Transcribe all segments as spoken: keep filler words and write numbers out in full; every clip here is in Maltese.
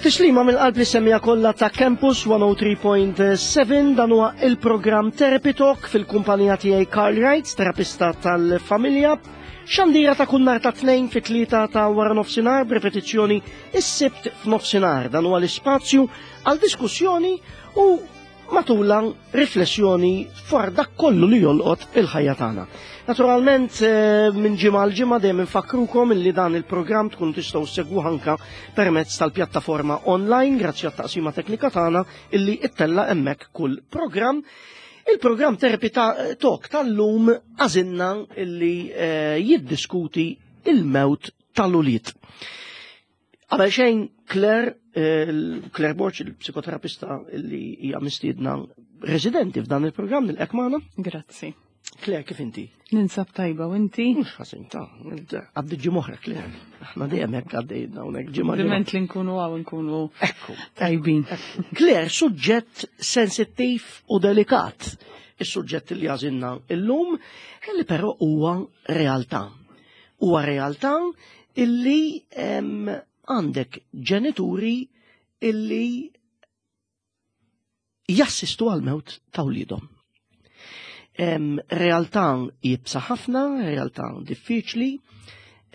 Tislima mill-qalb li semmija kollha ta' Campus mija u tlieta punt seba', dan huwa il-programm Therapy Talk fil-kumpanija tiegħi Carl Wright, terapista tal-familja. Xandira ta' kull nhar ta' tnejn fi tlieta ta' wara nofsinhar, b'repetizzjoni is-Sibt f'nofsinhar. Dan huwa l-ispazju għal diskussjoni u matula riflessjoni fuq dak kollu li jolqot il-ħajja tagħna. Naturalment, eh, minn ġimgħa għal ġimgħa dejjem infakrukom illi dan il-programm tkun tistgħu ssegwu anka permezz tal-pjattaforma online grazzi għat-taqsima teknika tagħna illi ittella hemmhekk kull programm. Il-programm Therapy ta' Talk tal-lum għażilna illi eh, jiddiskuti il-mewt tal-ulied. Qabel xejn, Claire, eh, Claire Borch, il-psikoterapista illi hija mistiedna residenti f'dan il-programm, nilqgħek magħna. Grazzi. Claire, kif inti? Ninsab tajba, u inti? Mhux ħażin ta', għaddi ġimgħa oħra, Claire. Aħna dejjem hekk għaddejna hawnhekk ġimgħa. Diment li nkunu hawn nkunu Ekku. tajbin. Claire, suġġett sensittiv u delikat. Is-suġġett li għażilna illum, li però huwa realtà. Huwa realtà illi em, għandek ġenituri illi jassistu għal-mewt ta' wliedhom. Em, Realtà iebsa ħafna, realtà diffiċli,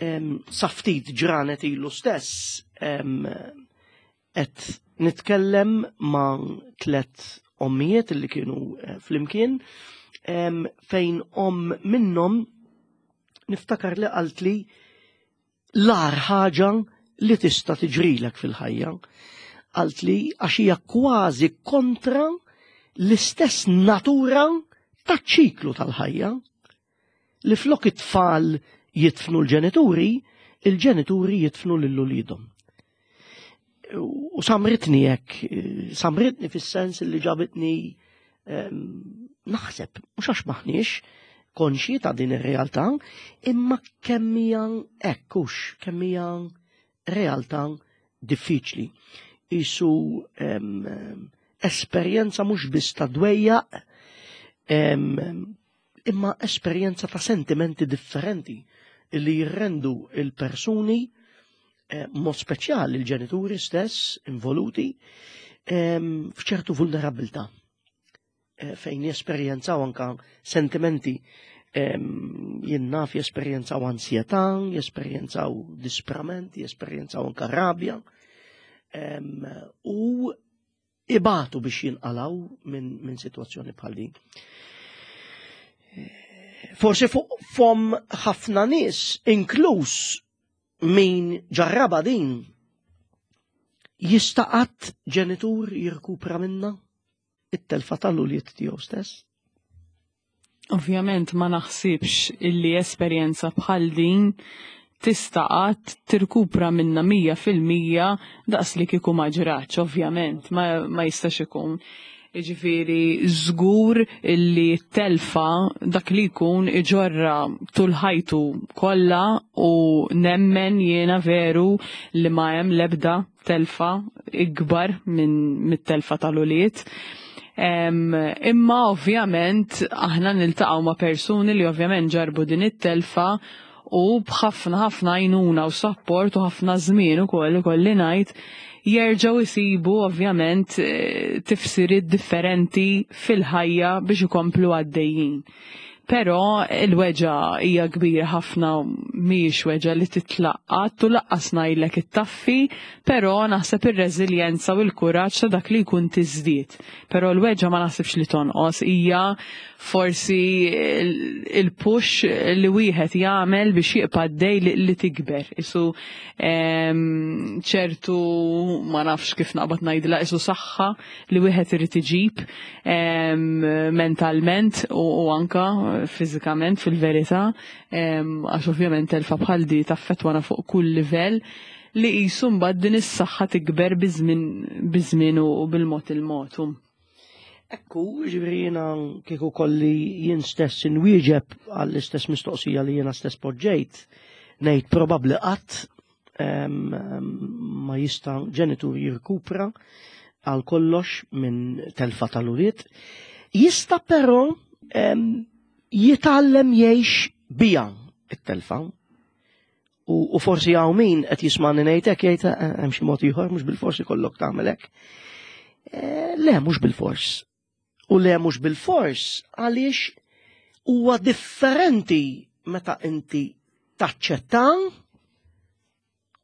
em, sa ftit ġranet ilu stess em, qed nitkellem ma' tlet ommijiet li kienu eh, flimkien, em, fejn om minnhom niftakar li qaltli l-agħar ħaġa li tista' tiġrilek fil-ħajja. Qaltli għax hija kważi kontra l-istess natura taċ-ċiklu tal-ħajja li flok it-tfal jidfnu l-ġenituri, il-ġenituri jidfnu lil uliedhom. U samritni hekk, samritni fis-sens li ġabitni em, naħseb, mhux għax maħniex konxji ta' din ir-realtà, imma kemm hija hekk hux, kemm hija realtà diffiċli. Isu em, esperjenza mhux biss ta' dwejjaq, em, imma esperjenza ta' sentimenti differenti li jirrendu il-persuni, eh, mod speċjali il-ġenituri stess involuti, em, f'ċertu vulnerabilità eh, fejn jesperjenzaw anka sentimenti, em, jien naf jesperjenzaw ansjetà, jesperjenzaw disprament, jesperjenzaw anka rabja, em, u ibatu biex jinqalaw minn min situazzjoni bħal din. Forsi fuq fom ħafna nies, inkluż min ġarraba din, jista' qatt ġenitur jirkupra minna it-telfa tal-ulied tiegħu stess? Ovvjament ma naħsibx illi esperjenza bħal din tista' qatt tirkupra minna mija fil-mija daqs li kieku ma ġratx, ovvjament, ma, ma jistax ikun. Jiġifieri żgur illi telfa dak li jkun iġorra tul ħajtu kollha u nemmen jiena veru li ma hemm l-ebda telfa ikbar minn mit-telfa tal-ulied. Em, imma ovvjament aħna niltaqgħu ma' persuni li ovvjament ġarbu din it-telfa u b'ħafna ħafna għajnuna u support u ħafna żmien ukoll, ikolli ngħid, jerġgħu jsibu ovvjament eh, tifsiriet differenti fil-ħajja biex ikomplu għaddejjin. Però il-weġgħa hija kbira ħafna, mhijiex weġgħa li titlaqqat u lanqas ngħidlek ittaffi, però naħseb ir-reżiljenza u l-kuraġġ ta' dak li jkun tiżdied. Però l-weġgħa ma naħsibx li tonqos, hija forsi il-push li wieħed jagħmel biex jibqa' għaddej li, li tikber. Isu em, ċertu, ma nafx kif naqbad ngħidilha, isu saħħa li wieħed irid iġib em, mentalment u, u anka fiżikament fil-verità, em, għax ovvjament telfa bħal di taffettwana fuq kull livell, li qisu mbagħad din is-saħħa tikber biż-żmien biż-żmien u bil-mod il-mod. Ekku, ġifieri jiena kieku kolli jien stess inwieġeb għall-istess mistoqsija li jiena stess poġġejt, ngħid probabbli qatt em, em, ma jista' ġenitur jirkupra għal kollox minn telfa tal-ulied. Jista' però em, jitgħallem jgħix bija it-telfa U forsi hawn min qed jismani ngħidlek jgħid eh, hemm xi mod ieħor mhux bil-forsi kollok tagħmel hekk. Eh, le mhux bil-fors. U le mhux bil-fors għaliex huwa differenti meta inti taċċetta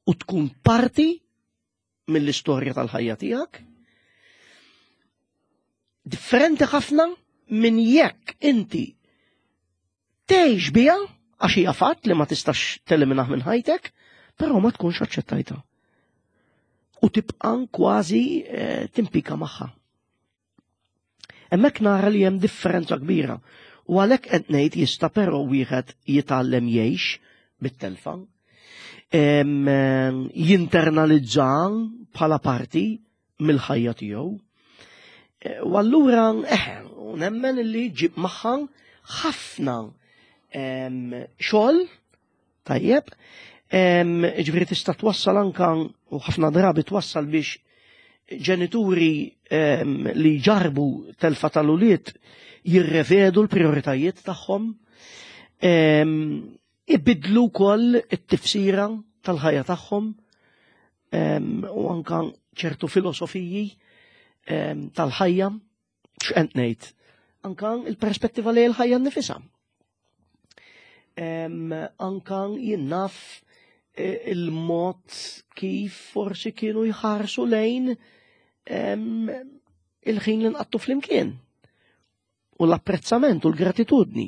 u tkun parti mill-istorja tal-ħajja tiegħek. Differenti ħafna minn jekk inti tgħix biha għax hija fatt li ma tistax teliminah minn ħajtek, però ma tkunx aċċettajta. U tibqa' kważi eh, timpika magħha. Hemmhekk nara li hemm differenza kbira. U għalhekk qed ngħid jista' però wieħed jitgħallem jgħix bit-telfa, jinternalizza bħala parti mill-ħajja tiegħu. E, u allura eh, nemmen li ġib magħha ħafna xogħol tajjeb, ġifieri tista' twassal anka u ħafna drabi twassal biex ġenituri li ġarbu telfa tal-ulied jirrevedu l-prioritajiet tagħhom, ibidlu wkoll it-tifsira tal-ħajja tagħhom u anka ċertu filosofiji tal-ħajja x'qed ngħid, anka il-perspettiva li l-ħajja nnifisha. Anka jien naf e, il-mod kif forsi kienu jħarsu lejn il-ħin li nqattu flimkien u l-apprezzament u l-gratitudni.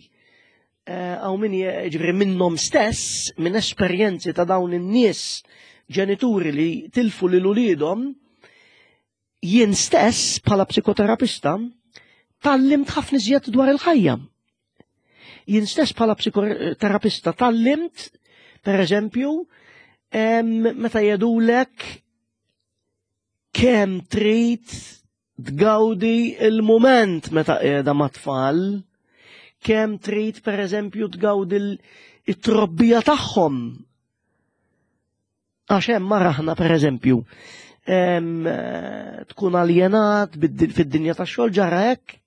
Għaw min ġifieri minnhom stess, minn esperjenzi ta' dawn in-nies ġenituri li tilfu lil uliedhom, jien stess bħala psikoterapista tgħallimt ħafna iżjed dwar il-ħajja. Jien stess bħala psikoterapista tgħallimt, per eżempju, meta jgħidulek kemm trid tgawdi il-moment meta qiegħda mat-tfal, kemm trid per eżempju tgawdi it-trobbija tagħhom. Għax hemm maraħna per eżempju, tkun aljenat fid-dinja tax-xogħol ġara hekk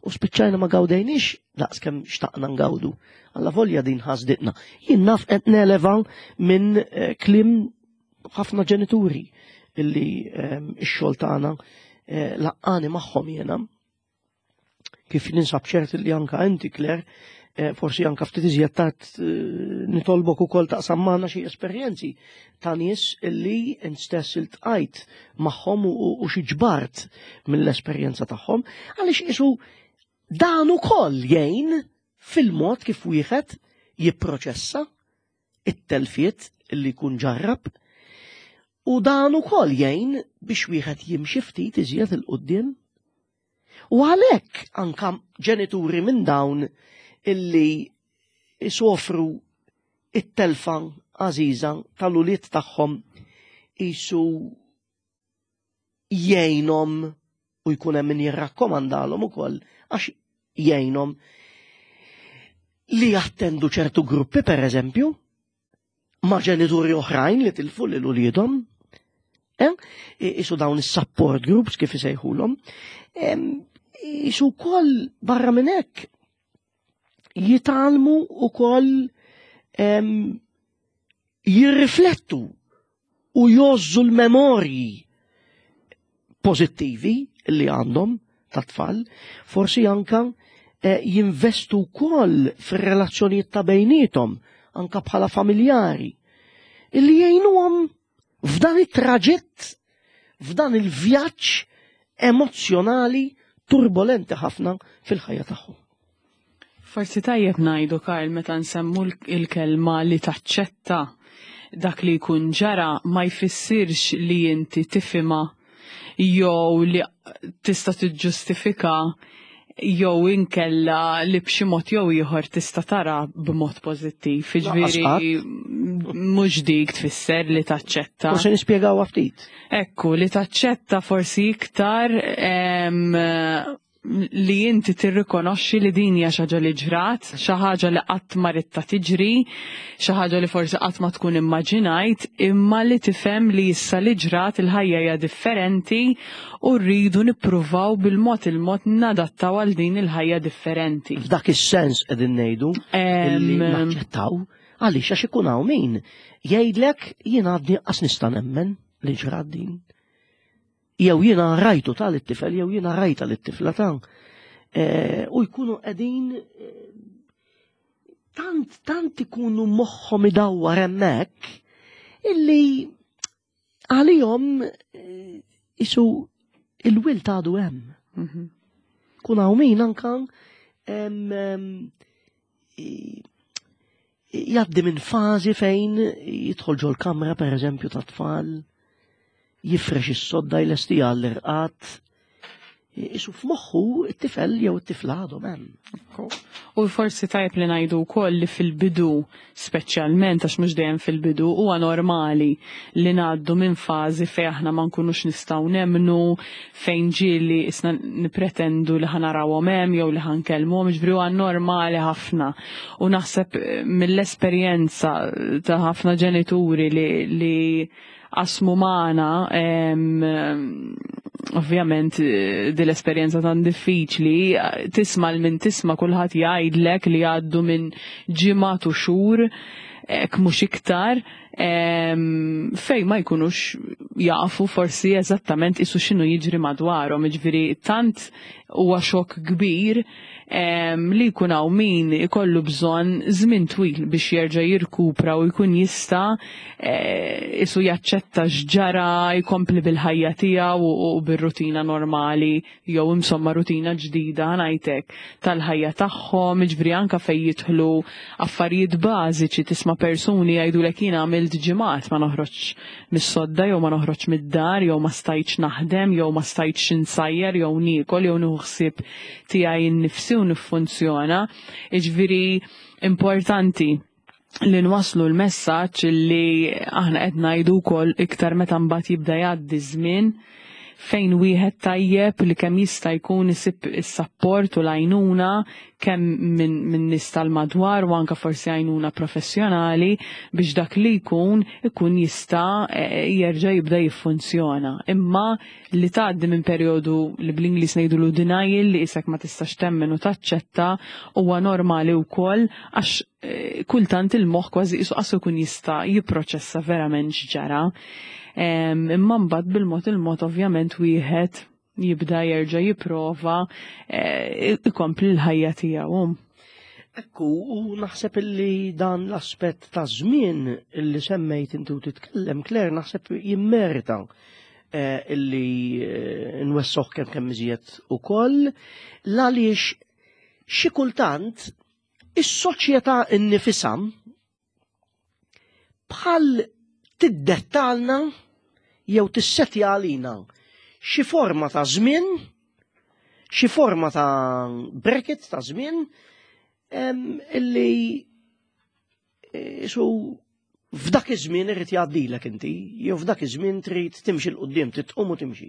u spiċċajna ma gawdejniex daqs kemm xtaqna ngawdu. Alla volja din ħasditna. Jien naf qed neleva minn eh, kliem ħafna ġenituri illi ix-xogħol tagħna eh, laqqani magħhom jiena. Kif ninsab ċert li anka inti Claire, eh, forsi anka ftit iżjed tard nitolbok ukoll taqsam magħna xi esperjenzi ta' nies illi int stess iltqajt magħhom u xi ġbart mill-esperjenza tagħhom għaliex isu dan ukoll jgħin fil-mod kif wieħed jipproċessa it-telfiet li jkun ġarrab u dan ukoll jgħin biex wieħed jimxi ftit iżjed 'il quddiem. U għalhekk anka ġenituri minn dawn illi isofru it-telfa għażiża tal-ulied tagħhom isu jgħinhom u jkun hemm min jirrakkomandalhom ukoll għax jgħinhom li jattendu ċertu gruppi per eżempju ma' ġenituri oħrajn li tilfu lil uliedhom. Eh? Isu dawn is-support groups kif isejħulhom. Isu wkoll barra minn hekk jitgħallmu wkoll jirriflettu u jgħożżu l-memorji pożittivi li għandhom ta' tfal, forsi anka eh, jinvestu wkoll fir-relazzjonijiet ta' bejnietom, anka bħala familjari, illi jgħinuhom f'dan it-traġitt, f'dan il-vjaġġ emozjonali turbolenti ħafna fil-ħajja tagħhom. Forsi tajjeb ngħidu Karl meta nsemmu l-kelma li taċċetta dak li jkun ġara ma jfissirx li inti tifhimha jew li tista' tiġġustifika jew inkella li b'xi mod jew ieħor tista' tara b'mod pożittiv. Jiġifieri mhux dik tfisser li taċċetta. Forsi nispjegaw ftit. Ekku, li taċċetta forsi iktar li inti tirrikonoxxi li din hija xi ħaġa li ġrat, xi ħaġa li qatt ma ridtha tiġri, xi ħaġa li forsi qatt ma tkun immaġinajt, imma li tifhem li issa li ġrat il-ħajja hija differenti u rridu nippruvaw bil-mod il-mod nadattaw għal din il-ħajja differenti. F'dak is-sens qegħdin ngħidu li naċċettaw Għaliex għax ikun hawn min jgħidlek jiena għadni qas nista' nemmen li ġrat din. Jew jiena rajtu tal it-tifel jew jiena rajta lit-tifla ta' eh, u jkunu qegħdin eh, tant tant ikunu moħħhom idawwar hemmhekk illi għalihom eh, isu il-wild għadu hemm. Mhm. Kun hawn min anka em, em, i- jgħaddi minn fażi fejn jidħol ġol kamra per eżempju ta' tfal, jifrex is-sodda jlesti għall-irqad, isu f'moħħu it-tifel jew it-tifla għadhom hemm. U forsi tajb li ngħidu wkoll li fil-bidu, speċjalment għax mhux dejjem fil-bidu, huwa normali li ngħaddu minn fażi fejn aħna ma nkunux nistgħu nemmnu, fejn ġieli isna nipretendu li ħa narawhom hemm jew li ħa nkellmuhom, ġifieri huwa normali ħafna. U naħseb eh, mill-esperjenza ta' ħafna ġenituri li, li qasmu magħna em, ovvjament eh, din l-esperjenza tan diffiċli, eh, tisma' l min tisma' kulħadd jgħidlek li għaddu minn ġimgħat u xhur hekk mhux iktar em, fej ma jkunux jafu forsi eżattament isu x'inhu jiġri madwarhom, jiġifieri tant huwa xokk kbir em, li jkun hawn min ikollu bżonn żmien twil biex jerġa' jirkupra u jkun jista' eh, isu jaċċetta x'ġara jkompli bil-ħajja tiegħu u, u bir-rutina normali jew insomma rutina ġdida ngħidlek tal-ħajja tagħhom, jiġifieri anke fejn jidħlu affarijiet bażiċi tisma' persuni jgħidulek jiena għamilt ġimgħat ma noħroġ mis-sodda jew ma noħroġ mid-dar jew ma stajtx naħdem jew ma stajtx insajjar jew niekol jew nieħu ħsieb tiegħi nnifsi u niffunzjona. Jiġifieri importanti li nwaslu l-messaġġ li aħna qed ngħidu wkoll iktar meta mbagħad jibda jgħaddi żmien fejn wieħed tajjeb li kemm jista' jkun isib is-sapport u l-għajnuna kemm minn min nies tal-madwar u anke forsi għajnuna professjonali biex dak li jkun ikun jista' eh, jerġa' jibda jiffunzjona. Imma li tgħaddi minn perjodu li bl-Ingliż ngħidulu denial li isek ma tistax temmen u taċċetta huwa normali wkoll għax eh, kultant il-moħħ kważi isu qasu jkun jista' jipproċessa verament x'ġara. Em, Imma mbagħad bil-mod il-mod ovvjament wieħed jibda jerġa' jipprova eh, ikompli l-ħajja tiegħu. Ekku, u naħseb illi dan l-aspett ta' żmien illi semmejt inti u titkellem, Claire, naħseb jimmerita eh, illi eh, nwessoh kemm kemm iżjed ukoll, għaliex xi kultant is-soċjetà innifisha bħal tiddettalna jew tissetja għalina xi forma ta' żmien, xi forma ta' bracket ta' żmien em, illi eh, su f'dak iż-żmien irid jgħaddilek inti, jew f'dak iż-żmien trid timxi 'l quddiem, titqum u timxi.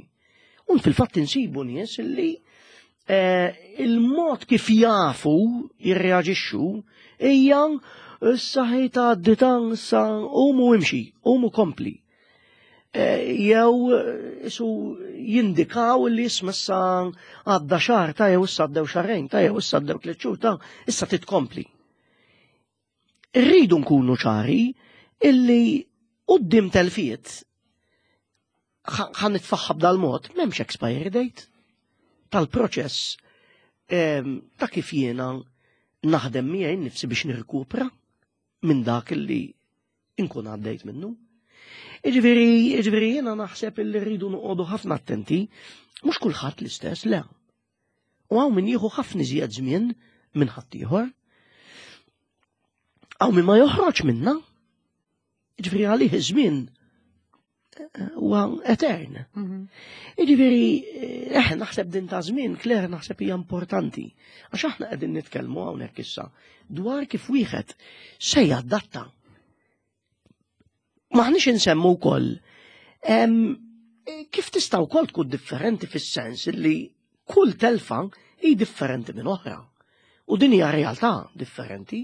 Un fil-fatt insibu nies illi eh, il-mod kif jafu jirreaġixxu hija issa ħej tgħaddi tan issa qumu imxi, qumu kompli. Eh, Jew eh, isu jindikaw li isma issa għadda xahar ta' jew issa għaddew xahrejn ta' jew issa għaddew tliet xhur ta' issa titkompli. Irridu nkunu ċari illi quddiem telfiet ħa nitfaħħa b'dal-mod m'hemmx expiry date tal-proċess em, ta' kif jiena naħdem miegħi nnifsi biex nirkupra minn dak illi inkun għaddejt minnu. Iġifieri, iġifieri jiena naħseb illi rridu noqogħdu ħafna attenti, mhux kulħadd l-istess, le. U hawn min jieħu ħafna iżjed żmien minn ħaddieħor. Hawn min ma joħroġ minna. Iġifieri għalih iż-żmien eh, huwa etern. Iġifieri, eh, naħseb din ta' żmien, Claire, naħseb hija importanti. Għax aħna qegħdin nitkellmu hawnhekk issa dwar kif wieħed se jadatta. Maħniex insemmu wkoll em, kif tista' wkoll tkun differenti fis-sens li kull telfa hi differenti minn oħra. U din hija realtà differenti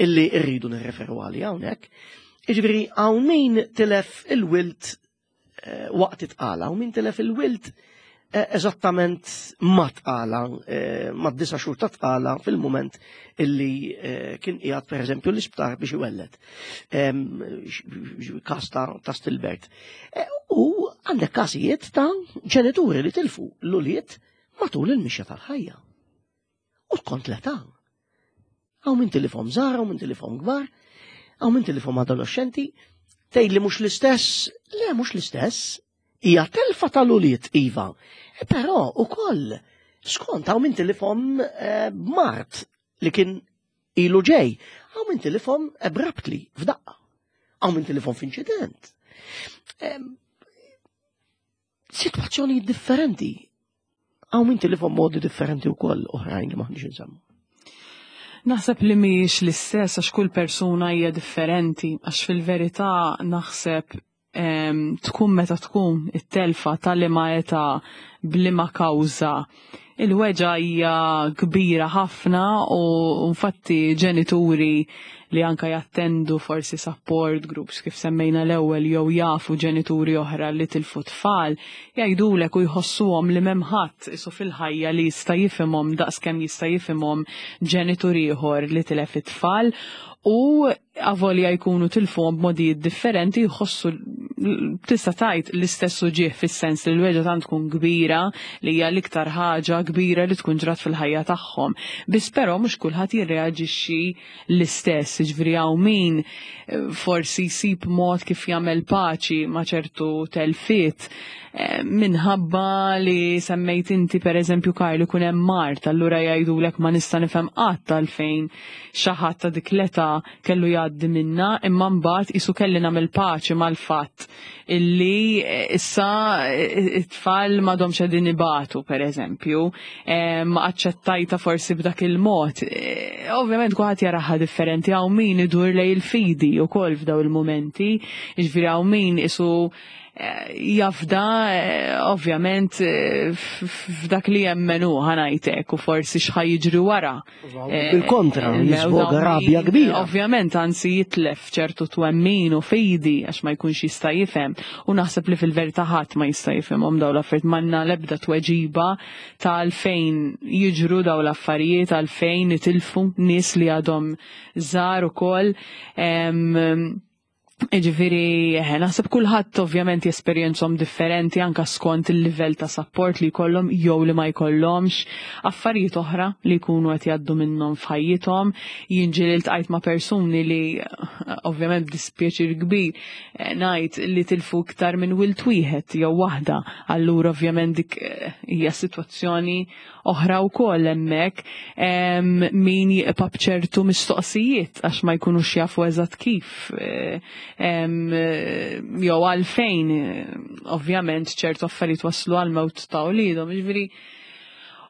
illi rridu nirreferu għalija hawnhekk. Jiġifieri hawn min tilef il-wild eh, waqt it-tqala, hawn min tilef il-wild eh, eżattament ma tqala, eh, ma disa xhur ta' tqala fil-moment illi eh, kien qiegħed pereżempju l-isptar biex iwelled. Em, x- x- Każ ta' ta' stillbirth. Eh, U għandek każijiet ta' ġenituri li tilfu l-ulied matul il-mixja tal-ħajja. U skont l-età. Hawn min tilifhom żgħar, hawn min tilifhom kbar, hawn min tilifhom adolescenti, tgħid li mhux l-istess, le mhux l-istess, hija telfa tal-ulied iva. E Però ukoll skont hawn min tilifhom eh, mard li kien ilu ġej, hawn min tilifhom abruptly f'daqqa. Hawn min tilifhom f'inċident. Em, Situazzjoni differenti. Hawn min tilifhom modi differenti wkoll oħrajn li maħniex insemmu. Naħseb li mhijiex l-istess għax kull persuna hija differenti, għax fil-verità naħseb em, tkun meta tkun it-telfa tal-liema età b'liema kawża. Il-weġgħa hija kbira ħafna u infatti ġenituri li anka jattendu forsi support groups kif semmejna l-ewwel jew jafu ġenituri oħra li tilfu tfal, jgħidulek u jħossuhom li m'hemm ħadd isu fil-ħajja li jista' jifhimhom daqskemm jista' jifhimhom ġenitur ieħor li tilef it-tfal u avolja jkunu tilfuhom b'modijiet differenti jħossu tista' tgħid l-istess uġigħ fis-sens li l-weġgħa tant tkun kbira li hija l-iktar ħaġa kbira li tkun ġrat fil-ħajja tagħhom. Biss però mhux kulħadd jirreaġixxi l-istess, jiġifieri hawn min eh, forsi jsib mod kif jagħmel paċi ma' ċertu telfiet eh, minħabba li semmejt inti per eżempju Karl ikun hemm mard, allura jgħidulek ma nista' nifhem qatt għalfejn xi ħadd ta' dik l-età kellu jgħaddi minna, imma mbagħad isu kelli nagħmel paċi mal-fatt illi eh, issa eh, it-tfal m'għadhomx qegħdin ibatu per eżempju, eh, ma aċċettajta forsi b'dak il-mod. Eh, Ovvjament kulħadd jaraha differenti hawn min idur lejn il-fidi wkoll f'daw il-momenti, jiġifieri hawn min isu eh, jafda eh, ovvjament eh, f- f- f'dak li jemmenu ħa ngħidlek u forsi x'ħa jiġri wara. Eh, Bil-kontra, il-mewt jisboga hawn rabja min, kbira. Ovvjament, anzi jitlef ċertu twemmin u fidi għax ma jkunx jista' jifhem. U naħseb li fil-verità ħadd ma jista' jifhimhom dawn l-affarijiet m'għandna l-ebda tweġiba ta' għalfejn jiġru dawn l-affarijiet, għalfejn itilfu nies li għadhom żgħar ukoll. Em, Ġifieri, eh, naħseb kulħadd ovvjament jesperjenzhom differenti anka skont il-livell ta' support li jkollhom jew li ma jkollhomx, affarijiet oħra li jkunu qed jgħaddu minnhom f'ħajjithom. Jien ġieli ltqajt ma' persuni li eh, ovvjament b'dispjaċir kbir eh, ngħid li tilfu iktar minn wild wieħed jew waħda. Allura ovvjament dik eh, hija sitwazzjoni oħra wkoll hemmhekk em, min jibqa' b'ċertu mistoqsijiet għax ma jkunux jafu eżatt kif eh, em, eh, jew għalfejn eh, ovvjament ċertu affarijiet waslu għal mewt ta' wliedhom. Jiġifieri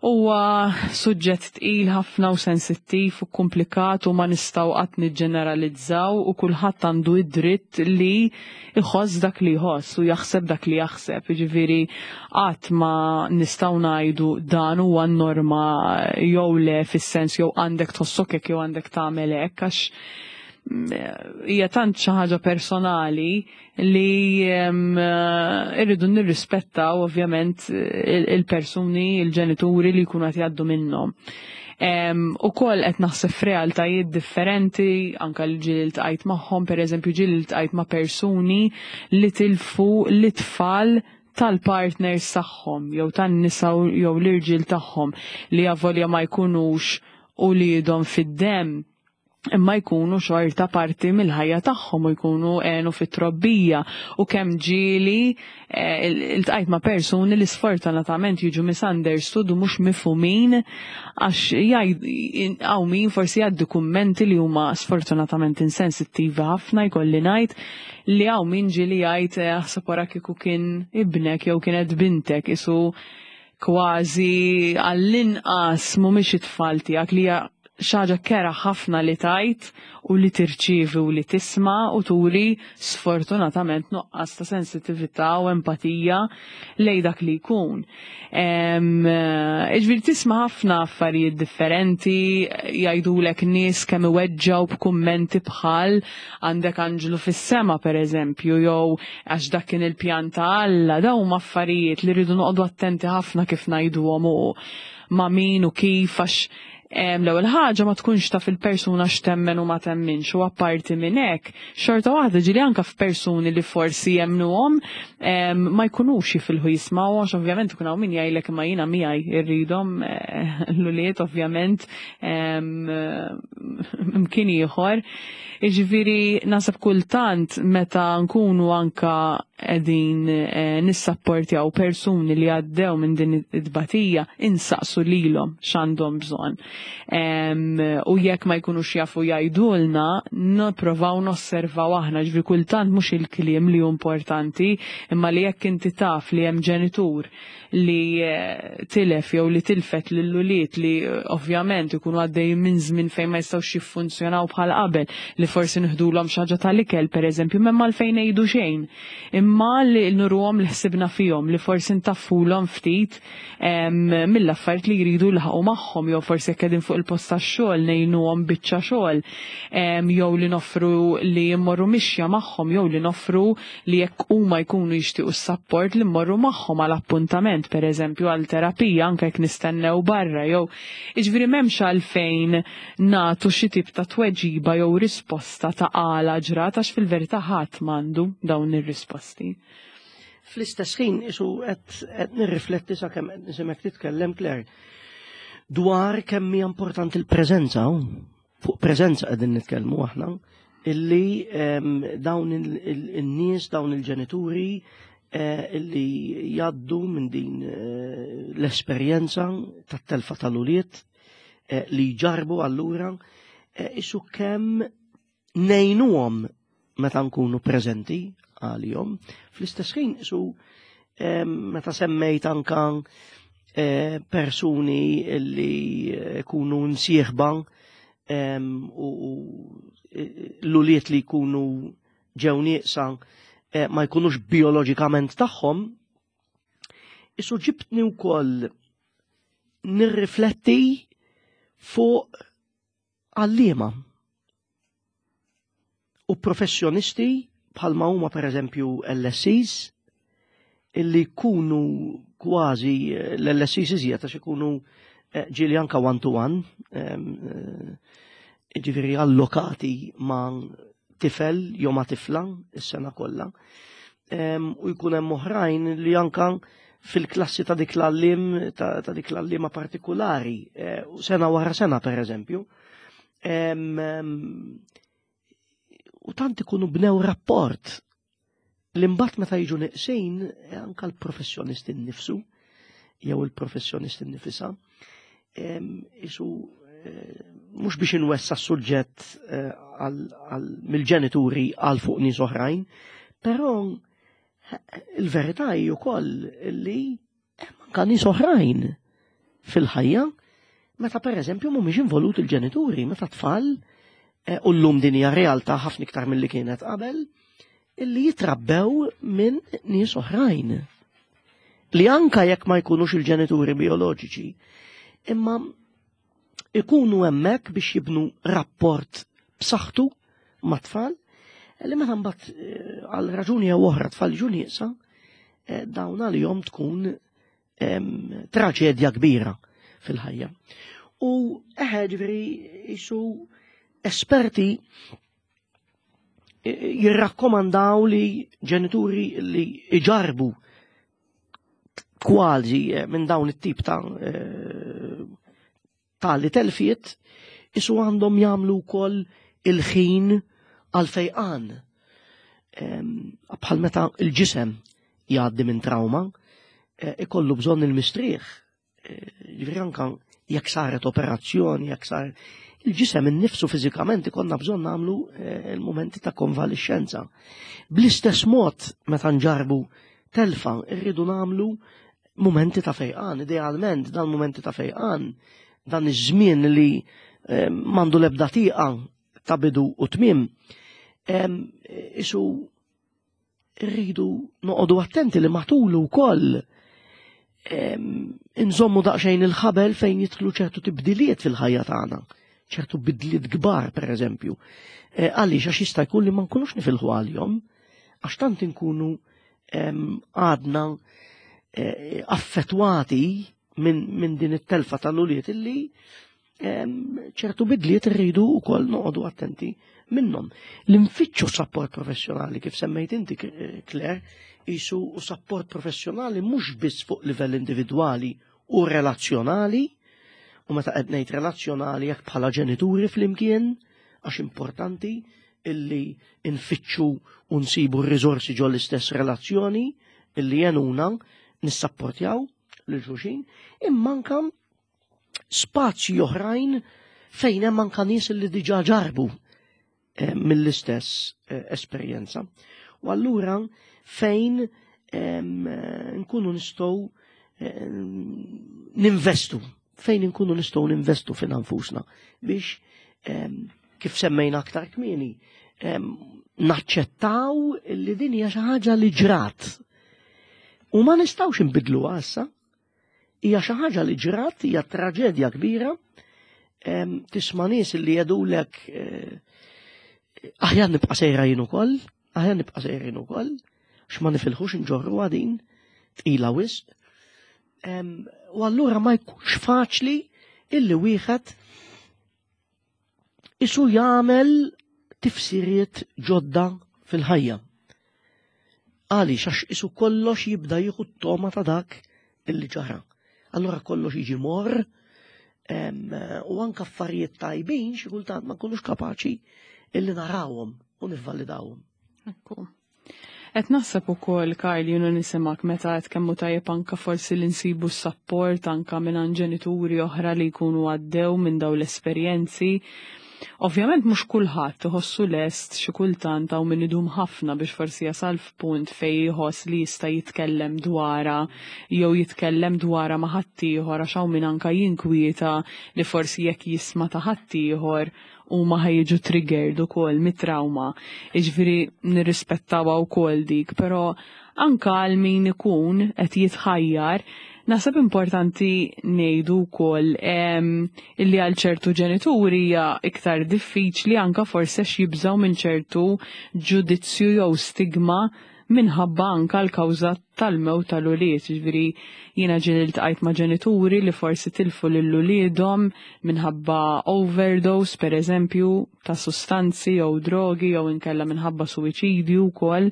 huwa suġġett tqil ħafna u sensittiv u komplikat u ma nistgħu qatt niġġeneralizzaw u kulħadd għandu id-dritt li jħoss dak li jħoss u jaħseb dak li jaħseb. Jiġifieri qatt ma nistgħu ngħidu dan huwa n-norma jew le fis-sens jew għandek tħossok hekk jew għandek tagħmel hekk għax mm, hija tant xi ħaġa personali li em, eh, irridu nirrispettaw ovvjament il- il-persuni, il-ġenituri li jkunu qed jgħaddu minnhom. Um, u koll qed naħseb f'realtajiet differenti, anka li ġieli ltqajt magħhom, per eżempju ġieli ltqajt ma' persuni li tilfu l-tfal tal-partners tagħhom, jew tan-nisa jew l-irġiel tagħhom li avolja ma jkunux uliedhom fid-dem imma jkunu xorta parti mill-ħajja tagħhom u jkunu għenu fit-trobbija u kemm ġieli eh, iltqajt ma' persuni li sfortunatament jiġu misunderstood u mhux mifhumin għax jgħid hawn min forsi jgħaddi kummenti li huma sfortunatament insensittivi ħafna jkolli ngħid li hawn min ġieli jgħid eh, aħseb wara kieku kien ibnek jew kienet bintek isu kważi għall-inqas mhumiex it-tfal tiegħek li hija Xi ħaġa kerha ħafna li tajt u li tirċievi u li tisma' u turi sfortunatament nuqqas ta' sensitività u empatija lej dak li jkun. Ġifieri tisma' ħafna affarijiet differenti, jgħidulek nies kemm iweġġgħu b'kummenti bħal "għandek anġlu fis-sema", pereżempju, jew "għax dak kien il-pjan ta' Alla". Dawn huma affarijiet li rridu noqogħdu attenti ħafna kif ngħiduhom u ma' min u kif, għax l-ewwel ħaġa ma tkunx taf il-persuna x'temmen u ma temminx, u apparti minn hekk xorta waħda ġieli anke f'persuni li forsi jemnuhom ma jkunux jifilħu jismgħu, għax ovvjament ikun hawn min jgħidlek, "Ma jiena miegħi irridhom eh, l-ulied", ovvjament mkien ieħor. Jiġifieri naħseb kultant meta nkunu anka qegħdin eh, nissapportjaw persuni li għaddew minn din it-tbatija, insaqsu lilhom x'għandhom bżonn. U jekk ma jkunux jafu jgħidulna, nipprovaw nosservaw aħna. Ġifieri kultant mhux il-kliem li hu importanti, imma li jekk inti taf li hemm ġenitur li eh, tilef jew li tilfet lill-ulied, li eh, ovvjament ikunu għaddejjin minn żmien fejn ma jistgħux jiffunzjonaw bħal qabel, li forsi nieħdulhom xi ħaġa tal-ikel, pereżempju, m'hemm għalfejn ngħidu xejn. Imma li nuruhom li ħsibna fihom, li forsi ntaffulhom ftit mill-affarijiet li jridu jilħaqu magħhom, jew forsi jekk qegħdin fuq il-post tax-xogħol ngħinuhom biċċa xogħol, jew li noffru li jmorru mixja magħhom, jew li noffru li jekk huma jkunu jixtiequ s-sapport li mmorru magħhom għal appuntament, per eżempju għal terapija, anke jekk nistennew barra, jew jiġifieri m'hemmx għalfejn nagħtu xi tip ta' tweġiba jew risposta ta' għala ġrat, għax fil-verità ħadd m'għandu dawn ir-risposti. Fl-istess ħin isu qed nirrifletti sakemm qed nisimgħek titkellem, Claire, dwar kemm hija importanti l-preżenza. Fuq preżenza qegħdin nitkellmu aħna, illi dawn il-nies, dawn il-ġenituri eh, illi jgħaddu minn din eh, l-esperjenza tat-telfa tal-ulied eh, li jġarbu allura isu kemm ngħinuhom meta nkunu preżenti għalihom. Fl-istess ħin isu meta semmejt anka persuni li jkunu nsieħba u l-ulied li jkunu ġew nieqsa eh, ma jkunux bioloġikament tagħhom, isu ġibtni wkoll nirrifletti fuq għalliema u professjonisti bħalma huma, pereżempju, L S Es, illi jkunu kważi l-L S Es iżjed għax ikunu eh, ġieli anka one to one, eh, ġifieri allokati ma' tifel jew ma' tifla is-sena kollha. U jkun hemm oħrajn li anka fil-klassi ta' dik l-għalliem ta' dik l-għalliema partikolari, eh, sena wara sena, per eżempju. U tant ikunu bnew rapport li mbagħad meta jiġu neqsin, eh, anka l-professjonist innifsu jew il-professjonist innifisha isu eh, mhux biex inwessa s-suġġett mill-ġenituri għal fuq nies oħrajn, però il-verità hi wkoll li hemm anka nies oħrajn fil-ħajja meta, pereżempju, mhumiex involut il-ġenituri, meta tfal, eh, u llum din hija realtà ħafna iktar milli kienet qabel, illi jitrabbew minn nies oħrajn. Li anka jekk ma jkunux il-ġenituri bioloġiċi, imma ikunu hemmhekk biex jibnu rapport b'saħħtu mat-tfal, li meta mbagħad eh, għal raġuni jew oħra tfal ġu nieqsa, eh, dawn għalihom tkun traġedja kbira fil-ħajja. U eħe, ġifieri jisu esperti eh, jirrakkomandaw li ġenituri li iġarbu kważi minn dawn it-tip ta' tali telfiet isu għandhom jagħmlu wkoll il-ħin għal fejqan. Bħal meta il-ġisem jgħaddi minn trauma, eh, ikollu bżonn il-mistrieħ. Eh, ġifieri anka jekk saret operazzjoni, jekk sar il-ġisem innifsu fiżikament ikollna bżonn nagħmlu eh, il-momenti ta' konvalixxenza. Bl-istess mod meta nġarbu telfa irridu nagħmlu momenti ta' fejqan, idealment dan momenti ta' fejqan, dan iż-żmien li m'għandu l-ebda tieqa ta' bidu u tmiem, isu rridu noqogħdu attenti li matulu wkoll inżommu daqsxejn il-ħabel fejn jidħlu ċertu tibdiliet fil-ħajja tagħna, ċertu bidliet kbar pereżempju. Għaliex għax jista' jkun li ma nkunux nifilħu għalihom, għax tant inkunu għadna affettwati minn din it-telfa tal-ulied illi ċertu bidliet irridu wkoll noqogħdu attenti minnhom. L-infittxu support professjonali, kif semmejt inti, Claire, isu u support professjonali mhux biss fuq livell individwali u relazzjonali, u meta qed ngħid relazzjonali jekk bħala ġenituri flimkien, għax importanti illi nfittxu u nsibu r-riżorsi ġo l-istess relazzjoni illi jenuna nissapportjaw lil xulxin, imma anka spazji oħrajn fejn hemm anka nies li diġà ġarbu mill-istess esperjenza. U allura fejn nkunu nistgħu ninvestu, fejn nkunu nistgħu ninvestu fin nfusna biex kif semmejna aktar kmieni naċċettaw li din hija xi ħaġa li ġrat. U ma nistgħux inbidluha issa. Hija xi ħaġa li ġrat, hija traġedja kbira. Tisma' nies li jgħidulek aħjar nibqa' sejra jien ukoll, aħjar nibqa' sejra jien ukoll, għax ma nifilħux nġorru din tqila wisq. U allura ma jkunx faċli illi wieħed isu jagħmel tifsiriet ġodda fil-ħajja. Għaliex għax isu kollox jibda jieħu t-toma ta' dak illi ġara. Allura kollox jiġi mor, u anka affarijiet tajbin xi kultant ma nkunux kapaċi illi narawhom u nivvalidawhom. Ekku. Qed naħseb ukoll, Karl, jiena nisimak meta qed kemmu tajjeb anka forsi li nsibu s-sapport anka minn ġenituri oħra li jkunu għaddew minn dawn l-esperjenzi. Ovvjament mhux kulħadd iħossu lest, xi kultant hawn min idum ħafna biex forsi jasal f'punt fejn jħoss li jista' jitkellem dwarha jew jitkellem dwarha ma' ħaddieħor, għax hawn min anka jinkwieta li forsi jekk jisma' ta' ħaddieħor huma ħajġu triggered ukoll mit-trauma. Jiġifieri nirrispettawha wkoll dik, però anka għal min ikun qed jitħajjar, naħseb importanti ngħidu wkoll illi għal ċertu ġenituri hija iktar diffiċli anka forsi għax jibżgħu minn ċertu ġudizzju jew stigma minħabba anka l-kawża tal-mewt tal-ulied. Jiġifieri jiena ġieli ltqajt ma' ġenituri li forsi tilfu lil uliedhom minħabba overdose, per eżempju, ta' sustanzi jew drogi jew inkella minħabba suwiċidju wkoll,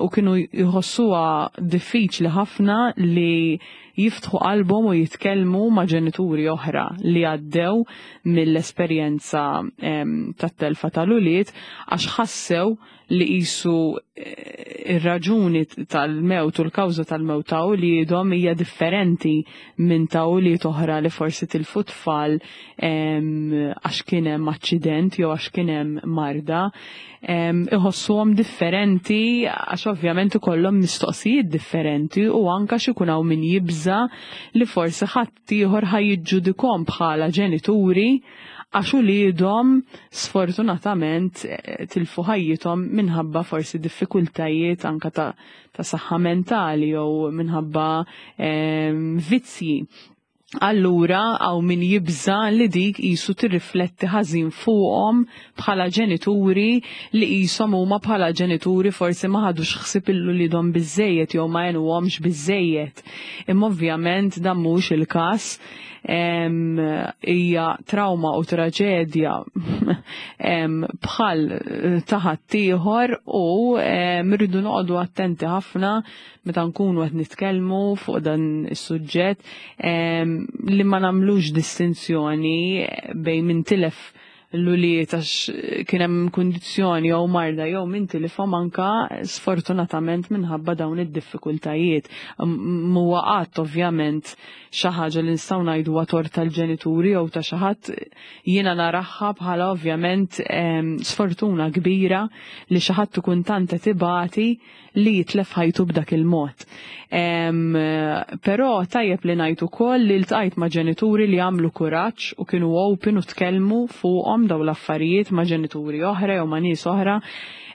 u kienu jħossuha diffiċli ħafna li jiftħu qalbhom u jitkellmu ma' ġenituri oħra li għaddew mill-esperjenza tat-telfa tal-ulied, għax ħassew li qisu ir-raġuni tal-mewt u l-kawża tal-mewt ta' uliedhom hija differenti minn ta' ulied oħra li forsi tilfu tfal għax kien hemm aċċident jew għax kien hemm marda. Iħossuhom differenti għax ovvjament ikollhom mistoqsijiet differenti u anka xi jkun hawn min jibża li forsi ħadd ieħor ħa jiġġudikhom bħala ġenituri għax uliedhom sfortunatament tilfu ħajjithom minħabba forsi diffikultajiet anka ta', ta' saħħa mentali jew minħabba vizzji. Allura hawn min jibża li dik qisu tirrifletti ħażin fuqhom bħala ġenituri, li qishom huma bħala ġenituri forsi ma ħadux ħsieb il-uliedhom biżejjed jew ma għenuhomx biżejjed. Imma ovvjament dan mhux il-każ. Hija trauma u traġedja bħal ta' ħaddieħor u rridu noqogħdu attenti ħafna meta nkunu qed nitkellmu fuq dan is-suġġett li ma nagħmlux distinzjoni bejn min tilef l-ulied għax kien hemm kundizzjoni jew marda jew min tilifhom anka sfortunatament minħabba dawn id-diffikultajiet. Mhuwa qatt ovvjament xi ħaġa li nistgħu ngħidu tort tal-ġenituri jew ta' xi ħadd, jiena naraha bħala ovvjament sfortuna kbira li xi ħadd ikun tant qed ibati li jitlef ħajtu b'dak il-mod. Però tajjeb li ngħid ukoll li ltqajt ma' ġenituri li għamlu kuraġġ u kienu open u tkellmu fuqhom dawn l-affarijiet ma' ġenituri oħra jew ma' nies oħra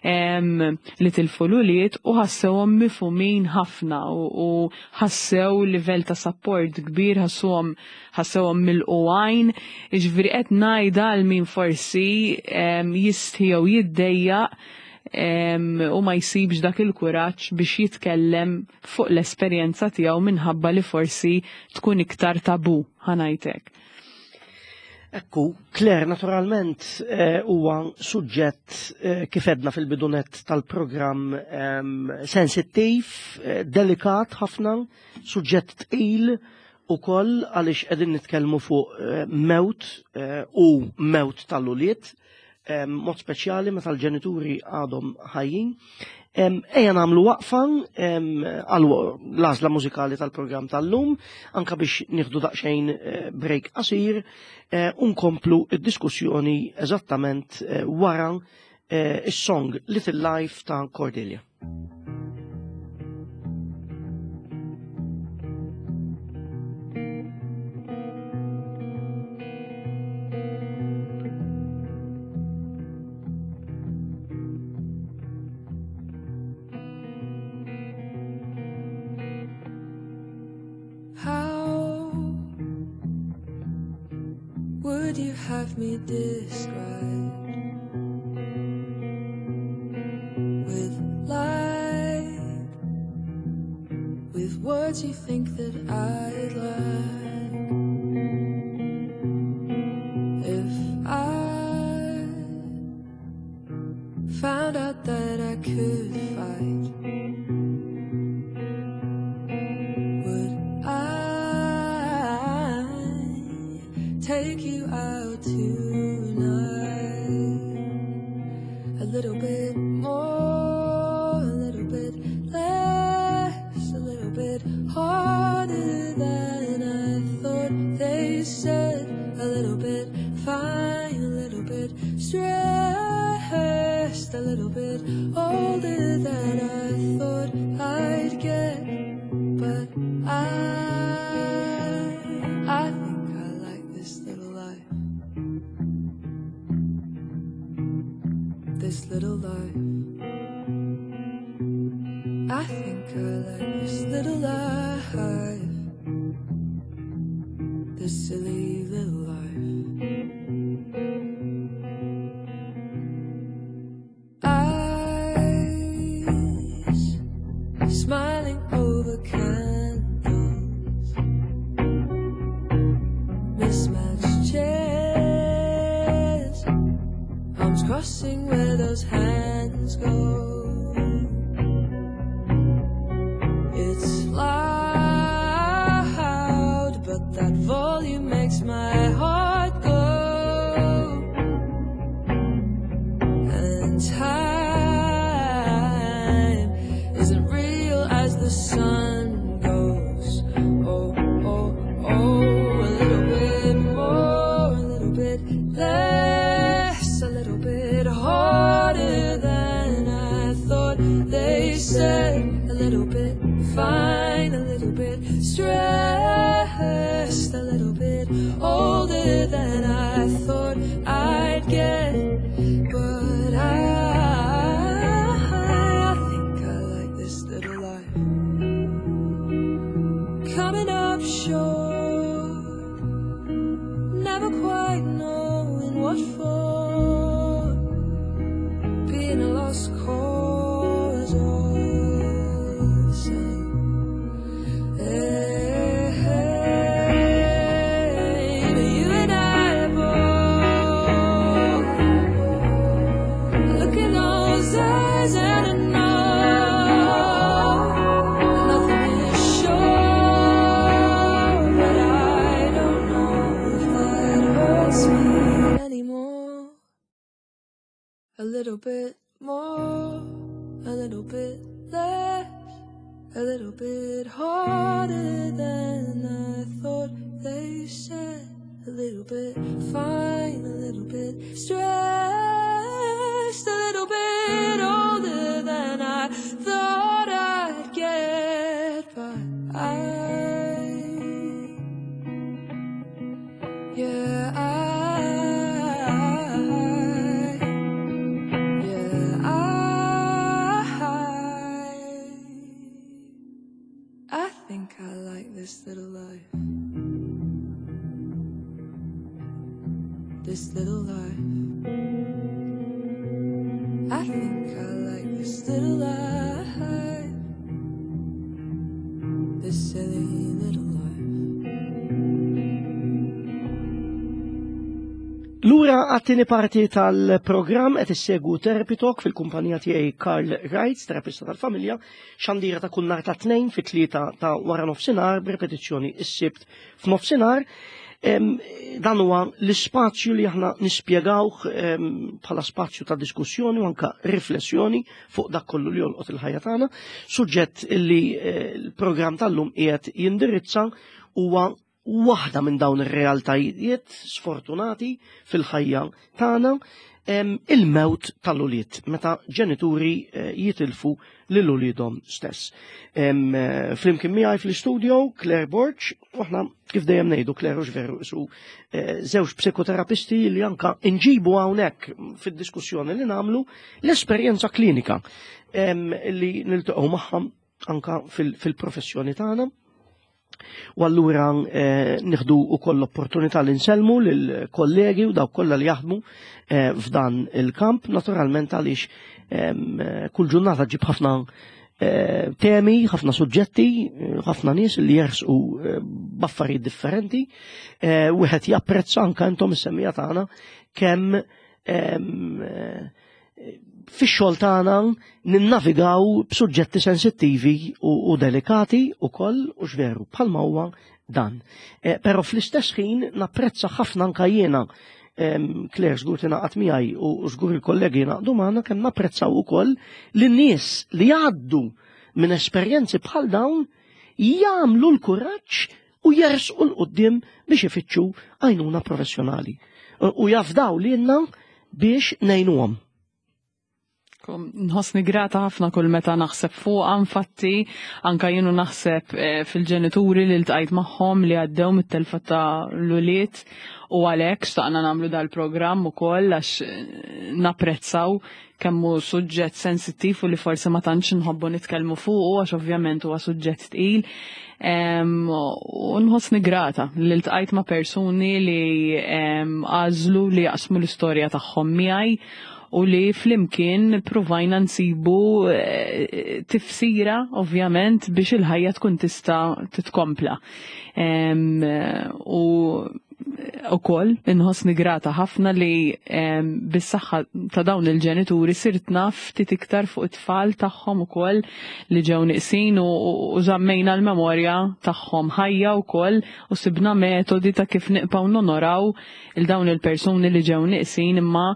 li tilfu l-ulied u ħassewhom mifhumin ħafna u ħassew livell ta' support kbir, ħassuhom ħassewhom milqugħin. Jiġifieri qed ngħidha għal min forsi jistħi jew jiddejjaq u ma jsibx dak il-kuraġġ biex jitkellem fuq l-esperjenza tiegħu minħabba li forsi tkun iktar tabu, ħa ngħidlek. Ekku, Claire, naturalment huwa suġġett kif edna fil-bidunet tal-programm sensittiv, delikat ħafna, suġġett tqil ukoll għaliex qegħdin nitkellmu fuq mewt u mewt tal-ulied, mod speċjali meta l-ġenituri għadhom ħajjin. Ejja nagħmlu waqfa għal l-għażla mużikali tal-programm tal-lum, anka biex nieħdu daqsxejn break qasir u nkomplu id-diskussjoni eżattament wara is-song Little Life ta' Cordelia. Would you have me described with light, with words you think that I'd like? If I found out that I could fight, would I take you out tonight? A little bit more, a little bit less, a little bit harder than I thought. They said a little bit fine, a little bit stressed, a little bit older than I thought I'd get. But I, I think I like this little life. This little life. I think I like this little life. This silly little life. Eyes smiling over candles, mismatched chairs, arms crossing where those hands go. It's loud, but that volume makes my heart go. And time isn't real as the sun goes. Oh, oh, oh, a little bit more, a little bit less, a little bit harder than I thought. They said a little bit fine, a little bit stressed, a little bit older than I thought I'd get. But I, I think I like this little life. Coming up short, never quite knowing what for, being a lost cause all the same. Hey, hey, but you and I both look in those eyes and I know nothing is sure, but I don't know if that hurts me anymore. A little bit more, a little bit less, a little bit harder than I thought they said. A little bit fine, a little bit stressed, a little bit older than I thought I'd get. But I, yeah, I, yeah, I, I think I like this little life. This little life. I think I like this little life. This silly little life. Lura għat-tieni parti tal-programm qed issegwu Therapy Talk fil-kumpanija tiegħi Karl Reitz, terapista tal-familja, xandira ta' kull nhar ta' tnejn fit-tlieta ta' wara nofsinhar b'repetizzjoni s-Sibt f'nofsinhar. Dan huwa l-ispazju li aħna nispjegawh bħala spazju ta' diskussjoni u anka riflessjoni fuq dak kollu li jolqot il-ħajja tagħna. Suġġett illi l-programm tal-lum qiegħed jindirizza huwa waħda minn dawn ir-realtajiet sfortunati fil-ħajja tagħna, il-mewt tal-ulied, meta ġenituri jitilfu lil uliedhom stess. Flimkien miegħi fl-istudio Claire Borg, u aħna kif dejjem ngħidu Claire hux veru isu żewġ psikoterapisti li anka nġibu hawnhekk fid-diskussjoni li nagħmlu l-esperjenza klinika li niltaqgħu magħha anka fil-professjoni tagħna. U allura eh, nieħdu wkoll l-opportunità li nsellmu lill-kollegi u dawk kollha li jaħdmu eh, f'dan il-kamp, naturalment għaliex eh, kull ġurnata ġib ħafna eh, temi, ħafna suġġetti, ħafna nies li jersqu eh, b'affarijiet differenti, eh, wieħed japprezza anke intom is-semmija tagħna kemm eh, fix-xogħol tagħna ninnavigaw b'suġġetti sensittivi u, u delikati ukoll u x'veru bħalma huwa dan. E, però fl-istess ħin napprezza ħafna anke jiena, Claire żgur tingħaqad miegħi u żgur il-kollegi jingħaqdu magħna, kemm napprezzaw ukoll lin-nies li jgħaddu minn esperjenzi bħal dawn jagħmlu l-kuraġġ u jersqu 'l quddiem biex ifittxu għajnuna professjonali u jafdaw lilna biex ngħinuhom. Nħossni grata ħafna kull meta naħseb fuqha, infatti anka jienu naħseb fil-ġenituri li ltqajt magħhom li għaddew mit-telfa ta' l-ulied, u għalhekk xtaqna nagħmlu dal-programm ukoll għax napprezzaw kemm hu suġġett sensittiv u li forsi ma tantx nħobbu nitkellmu fuqu għax ovvjament huwa suġġett tqil. U nħossni grata li ltqajt ma' persuni li għażlu li jaqsmu l-istorja tagħhom miegħi u li flimkien provajna nsibu tifsira ovvjament biex il-ħajja tkun tista' titkompla. U ukoll inħossni grata ħafna li bis-saħħa ta' dawn il-ġenituri sirt naf ftit iktar fuq it-tfal tagħhom ukoll li ġew niqsin u żammejna l-memorja tagħhom ħajja wkoll u sibna metodi ta' kif nibqgħu nonoraw il dawn il-persuni li ġew niqsin imma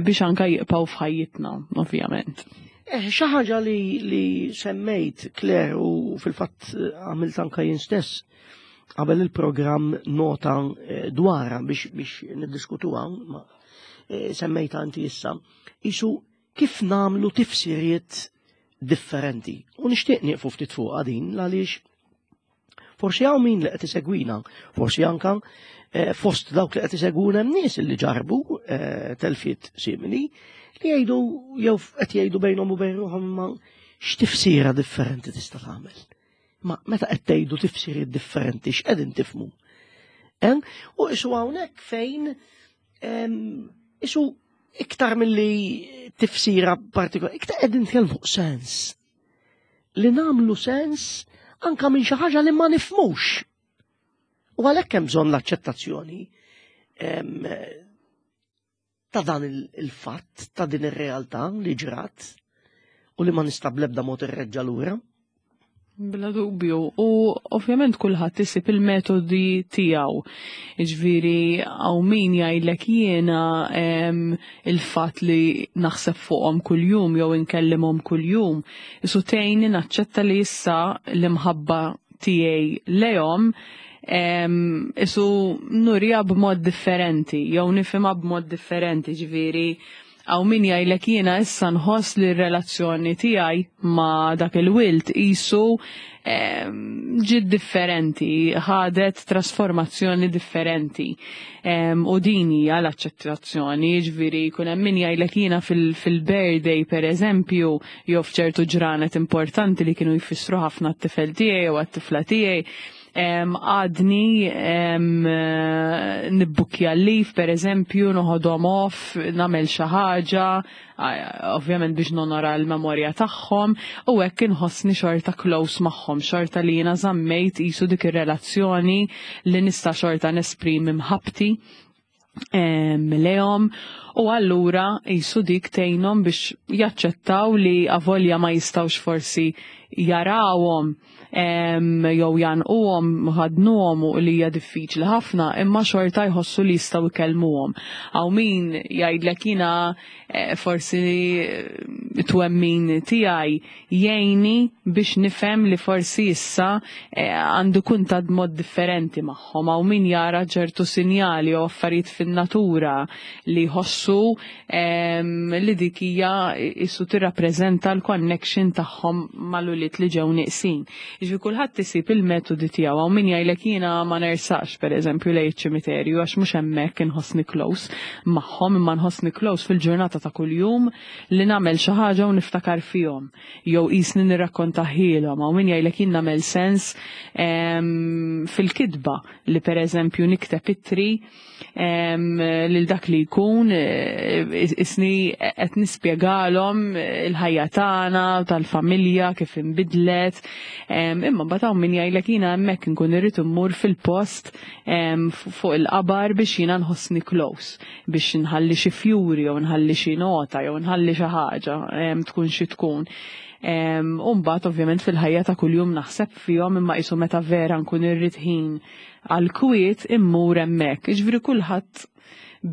biex anke jibqgħu f'ħajjitna ovvjament. Eh, xi ħaġa li, li semmejt Claire u fil-fatt għamilt anke jien stess qabel il-programm nota dwarha biex biex niddiskutuha, ma semmejta inti issa, isu kif namlu tifsiriet differenti. U nixtieq nieqfu ftit fuqha din għaliex forsi hawn min li qed isegwina, forsi anka fost dawk li qed isegwuna hemm nies li ġarbu telfiet simili li jgħidu jew qed jgħidu bejnhom u bejn ruħhom ma x'tifsira differenti tista' tagħmel. Ma meta qed tgħidu tifsiriet differenti x'qegħdin tifhmu? U isu hawnhekk fejn isu iktar milli tifsira partikolari, iktar qegħdin nitkellmu fuq sens. Li nagħmlu sens anka minn xi ħaġa li ma nifhmux. U għalhekk hemm bżonn l-aċċettazzjoni ta' dan il-fatt, ta' din ir-realtà li ġrat u li ma nista' bl-ebda mod irreġġa' lura. Bla dubju, u ovvjament kulħadd isib il-metodi tiegħu. Jiġifieri hawn min jgħidlek jiena il-fatt li naħseb fuqhom kuljum jew inkellimhom kuljum, isu tgħinni naċċetta li issa l-imħabba tiegħi lejhom isu nurija b'mod differenti, jew nifhimha b'mod differenti, ġifieri hawn min jgħidlek jiena issa nħoss li r-relazzjoni tiegħi ma' dak il-wild isu ġiet differenti, ħadet trasformazzjoni differenti. U din hija l-aċċettazzjoni, ġifieri jkun hemm min jgħidlek jiena fil-birthday pereżempju, jew f'ċertu ġranet importanti li kienu jfissru ħafna t-tifel tiegħi jew għat-tifla tiegħi, għadni nibbukja l-leave, per eżempju, noħodhom off, nagħmel xi ħaġa, ovvjament biex nonora l-memorja tagħhom, u hekk inħossni xorta close magħhom, xorta li jiena żammejt qisu dik ir-relazzjoni li nista' xorta nesprimi mħabbti lejhom, u allura qisu dik tgħinhom biex jaċċettaw li avolja ma jistgħux forsi jarawhom jew jgħannquhom, ħadnuhom u li hija diffiċli ħafna, imma xorta jħossu li jistgħu jkellmuhom. Hawn min jgħidlek jiena forsi twemmin tiegħi jgħinni biex nifhem li forsi issa għandu kuntatt b'mod differenti magħhom. Hawn min jara ċertu sinjali jew affarijiet fin-natura li jħossu li dik hija isu tirrappreżenta l-connection tagħhom mal-ulied li ġew nieqsin. Jiġifieri kulħadd isib il-metodi tiegħu. Hawn min jgħidlek jiena ma nersaqx pereżempju lejn iċ-ċimiterju għax mhux hemmhekk inħossni close magħhom, imma nħossni close fil-ġurnata ta' kuljum li nagħmel xi ħaġa u niftakar fihom jew qisni nirrakkontahielhom. Hawn min jgħidlek jien nagħmel sens fil-kitba li pereżempju nikteb ittri lil dak li jkun isni qed nispjegalhom il-ħajja tagħna tal-familja kif inbidlet, imma mbagħad hawn min jgħidlek jiena hemmhekk inkun irrid immur fil-post fuq il-qabar biex jiena nħossni close, biex nħalli xi fjuri jew nħalli xi nota jew nħalli xi ħaġa tkun xi tkun. U mbagħad ovvjament fil-ħajja ta' kuljum naħseb fihom, imma qisu meta vera nkun irrid ħin għal kwiet immur hemmhekk. Jiġifieri kulħadd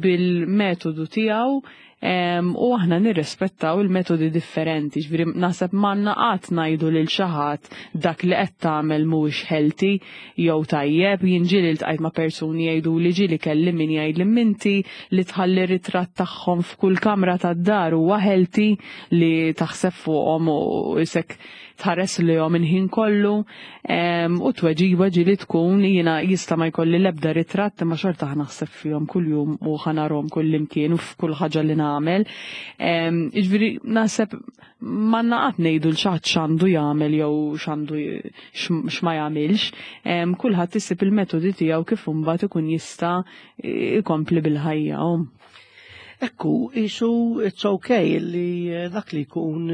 bil-metodu tiegħu u aħna nirrispettaw il-metodi differenti. Ġifieri naħseb m'għandna qatt ngħidu lil xi ħadd dak li qed tagħmel mhuwiex healthy jew tajjeb. Jien ġieli ltqajt ma' persuni jgħidu li ġieli kelli min jgħid li minti li tħalli ritratt tagħhom f'kull kamra tad-dar huwa healthy li taħseb fuqhom u isek tħares lihom il-ħin kollu, u tweġiba ġieli tkun jiena jista' ma jkolli l-ebda ritratt imma xorta naħseb fihom kuljum u ħanarhom kull imkien u f'kull ħaġa li nagħmel. Jiġifieri naħseb m'għandna qatt ngħidu l xi ħadd x'għandu jagħmel jew x'għandu x'ma jagħmilx. Kulħadd isib il-metodi tiegħu kif imbagħad ikun jista' jkompli bil-ħajja. Ekku, isu it's okay li dak li jkun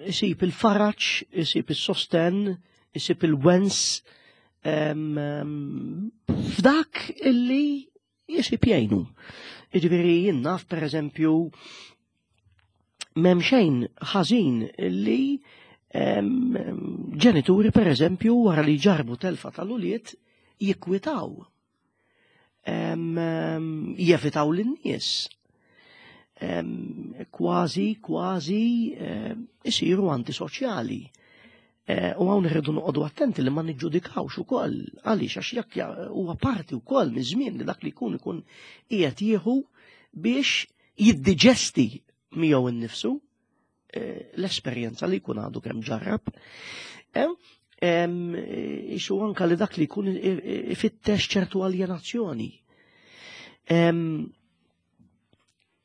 isib il-faraġ, isib il-sosten, isib il-wens f'dak illi jisib jgħinu. Jiġifieri jien naf per eżempju m'hemm xejn ħażin illi ġenituri per eżempju wara li ġarbu telfa tal-ulied jikwitaw. Jevitaw lin-nies. Kważi, kważi isiru antisoċjali. U hawn irridu noqogħdu attenti li ma niġġudikawx ukoll għaliex għax jekk huwa parti wkoll miż-żmien li dak li jkun ikun qiegħed jieħu biex jiddiġesti miegħu innifsu l-esperjenza li jkun għadu kemm ġarrab. Isu anka li dak li jkun ifittex ċertu aljenazzjoni.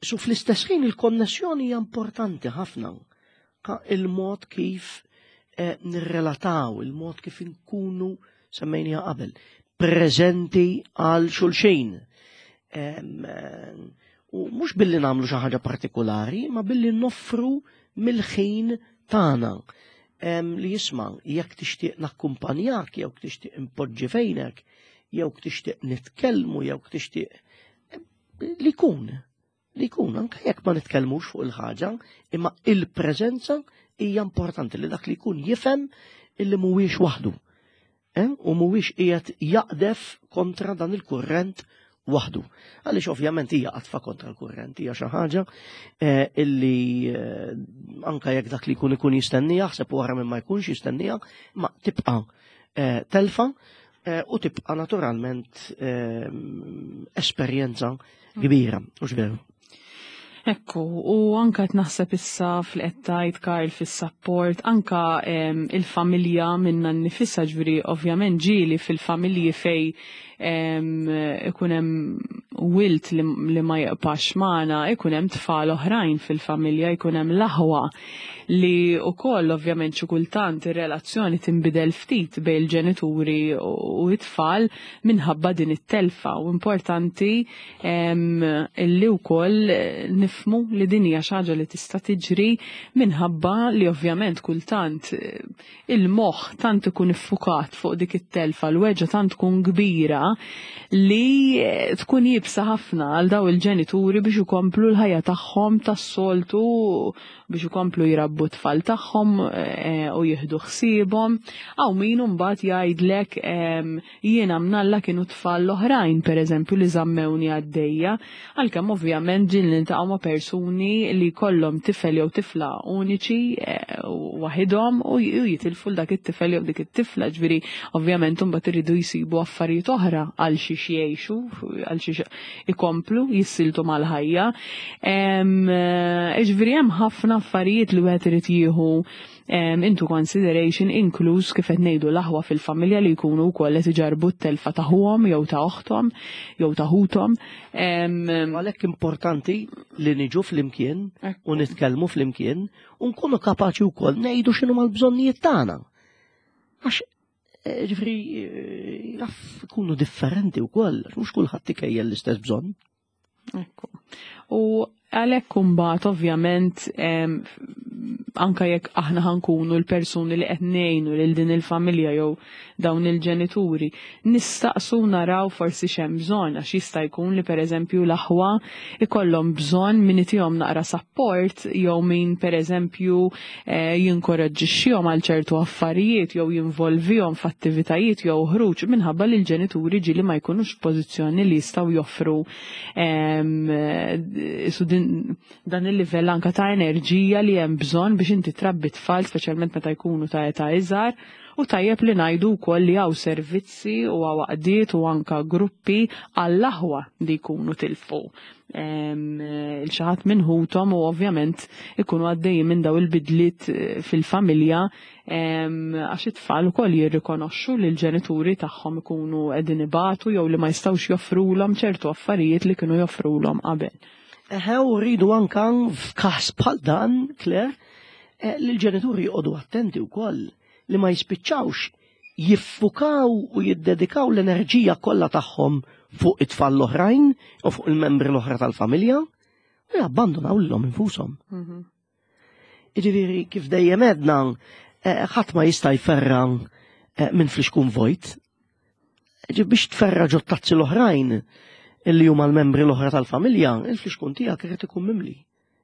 Su fl-istess ħin il-konnessjoni hija importanti ħafna. Il-mod kif nirrelataw, il-mod kif inkunu semmejniha qabel, preżenti għal xulxin. U mhux billi nagħmlu xi ħaġa partikolari, ma billi noffru mill-ħin tagħna. Li jisma' jekk tixtieq nakkumpanjak, jew tixtieq impoġġi fejnek, jew tixtieq nitkellmu, jew tixtieq li jkun. Li jkun, anke jekk ma nitkellmux fuq il-ħaġa, imma il-preżenza hija importanti li dak li jkun jifhem illi mhuwiex waħdu. Eh? U mhuwiex qiegħed jaqdef kontra dan il-kurrent waħdu. Għaliex ovvjament hija qadfa kontra l-kurrent, hija xi ħaġa eh, illi eh, anka jekk dak li jkun ikun jistennija, ħseb wara minn ma jkunx jistennija, ma tibqa' eh, telfa eh, u tibqa' naturalment eh, esperjenza kbira, mhux veru? Ekku, u anka qed naħseb issa fil-qed Karl fis-support, anka em, il-familja minna nnifisha, ġifieri ovvjament ġieli fil-familji fej em, ikun hemm wild li, li ma jibqax magħna, ikun hemm tfal oħrajn fil-familja, ikun hemm l-aħwa li wkoll ovvjament xi kultant ir-relazzjoni tinbidel ftit bejn il-ġenituri u t-tfal minħabba din it-telfa, u importanti em, illi wkoll nifmu li din hija xi ħaġa li tista' tiġri minħabba li ovvjament kultant eh, il-moħħ tant ikun iffukat fuq dik it-telfa, l-weġgħa tant tkun kbira li eh, tkun iebsa ħafna għal daw il-ġenituri biex ikomplu l-ħajja tagħhom tas-soltu, biex ikomplu jrabbu t-tfal tagħhom eh, u jieħdu ħsiebhom. Hawn min mbagħad jgħidlek em, jiena mnalla kienu tfal l-oħrajn pereżempju li żammewni għaddejja, għalkemm ovvjament ġieli niltaqgħu ma' persuni li kollhom tifel jew tifla uniċi eh, waħidhom u j- u jitilfu dak it-tifel jew dik it-tifla, ġifieri ovvjament imbagħad iridu jsibu affarijiet oħra għal xiex jgħixu, għal xiex ikomplu jissiltu mal-ħajja. Em, eh, Ġifieri hemm ħafna affarijiet li wieħed irid jieħu em, into consideration, inkluż kif qed ngħidu l-aħwa fil-familja li jkunu wkoll qed iġarbu t-telfa ta' ħuhom jew ta' oħthom jew ta' ħuthom. Em, Għalhekk importanti li niġu flimkien u nitkellmu flimkien u nkunu kapaċi wkoll ngħidu x'inhu mal-bżonnijiet tagħna. Għax eh, ġifieri eh, jaf ikunu differenti wkoll, għax mhux kulħadd ikejjel l-istess bżonn. Ekku. U għalhekk imbagħad ovvjament em, anka jekk aħna ħa nkunu l-persuni li qed ngħinu lil din il-familja jew dawn il-ġenituri, nistaqsu naraw forsi x'hemm bżonn, għax jista' jkun li pereżempju l-aħwa ikollhom bżonn min itihom naqra support jew min pereżempju eh, jinkoraġġixxihom għal ċertu affarijiet jew jinvolvihom f'attivitajiet jew ħruġ, minħabba li l-ġenituri ġieli ma jkunux f'pożizzjoni li jistgħu joffru em, eh, su din, dan il-livell anka ta' enerġija li hemm bżonn biex inti trabbi tfal, speċjalment meta jkunu ta' età iżgħar. U tajjeb li ngħidu wkoll li hawn servizzi u hawn għaqdiet u anka gruppi għall-aħwa li jkunu tilfu em, il xi ħadd minn ħuthom u ovvjament ikunu għaddejjin minn daw il-bidliet eh, fil-familja, em, għax it-tfal ukoll jirrikonoxxu li l-ġenituri tagħhom ikunu qegħdin ibatu jew li ma jistgħux joffrulhom ċertu affarijiet li kienu joffrulhom qabel. Eħe, u rridu anka f'każ bħal dan, Claire, eh, li l-ġenituri joqogħdu attenti wkoll li ma jispiċċawx jiffukaw u jiddedikaw l-enerġija kollha tagħhom fuq it-tfal l-oħrajn u fuq il-membri l-oħra tal-familja u jabbandonaw lilhom infushom. Jiġifieri kif dejjem għedna, eh, ħadd ma jista' jferra eh, minn flixkun vojt. Ġi biex tferra ġo tazzi l-oħrajn illi huma l-membri l-oħra tal-familja, il-flixkun tiegħek irid ikun mimli.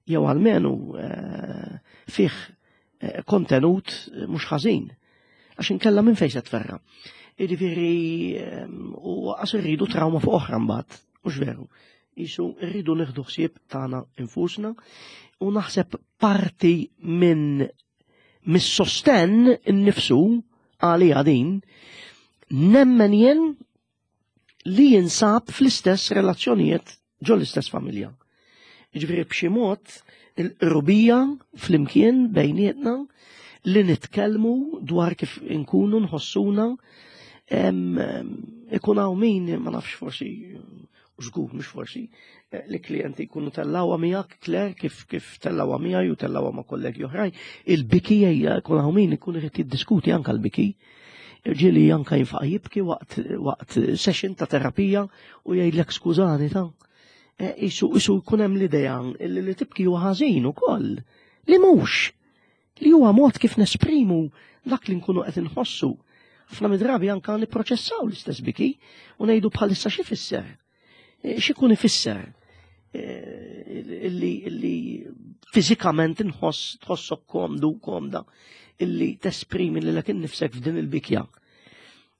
Jew almenu eh, fih eh, kontenut mhux ħażin. Għax inkella minn fejn se tferra. Jiġifieri ehm, u għas irridu trauma fuq oħra mbagħad, mhux veru. Isu rridu nieħdu ħsieb tagħna infusna u naħseb parti minn mis-sosten innifsu għalija din nemmen jien li jinsab fl-istess relazzjonijiet ġo l-istess familja. Ġifieri b'xi mod il-qrubija flimkien bejnietna li nitkellmu dwar kif inkunu nħossuna, em, em, ikun hawn min, ma nafx, forsi, żgur mhux forsi, eh, li klijenti jkunu tellawha miegħek, Claire, kif kif tellawha miegħi u tellawha ma' kollegi oħrajn, il-biki hija jkun hawn min ikun irid jiddiskuti anke l-biki. Ġieli anka jinfaqa' jibki waqt waqt session ta' terapija u jgħidlek skużani ta' Eh, isu isu jkun hemm l-idea li li tibki huwa ħażin ukoll. Li mhux li huwa mod kif nesprimu dak li nkunu qed inħossu. Ħafna mid-drabi anka nipproċessaw l-istess biki u ngħidu bħalissa xi fisser. Eh, X'ikun ifisser eh, illi illi fiżikament inħoss tħossok komdu komda illi tesprimi lilek innifsek f'din il-bikja.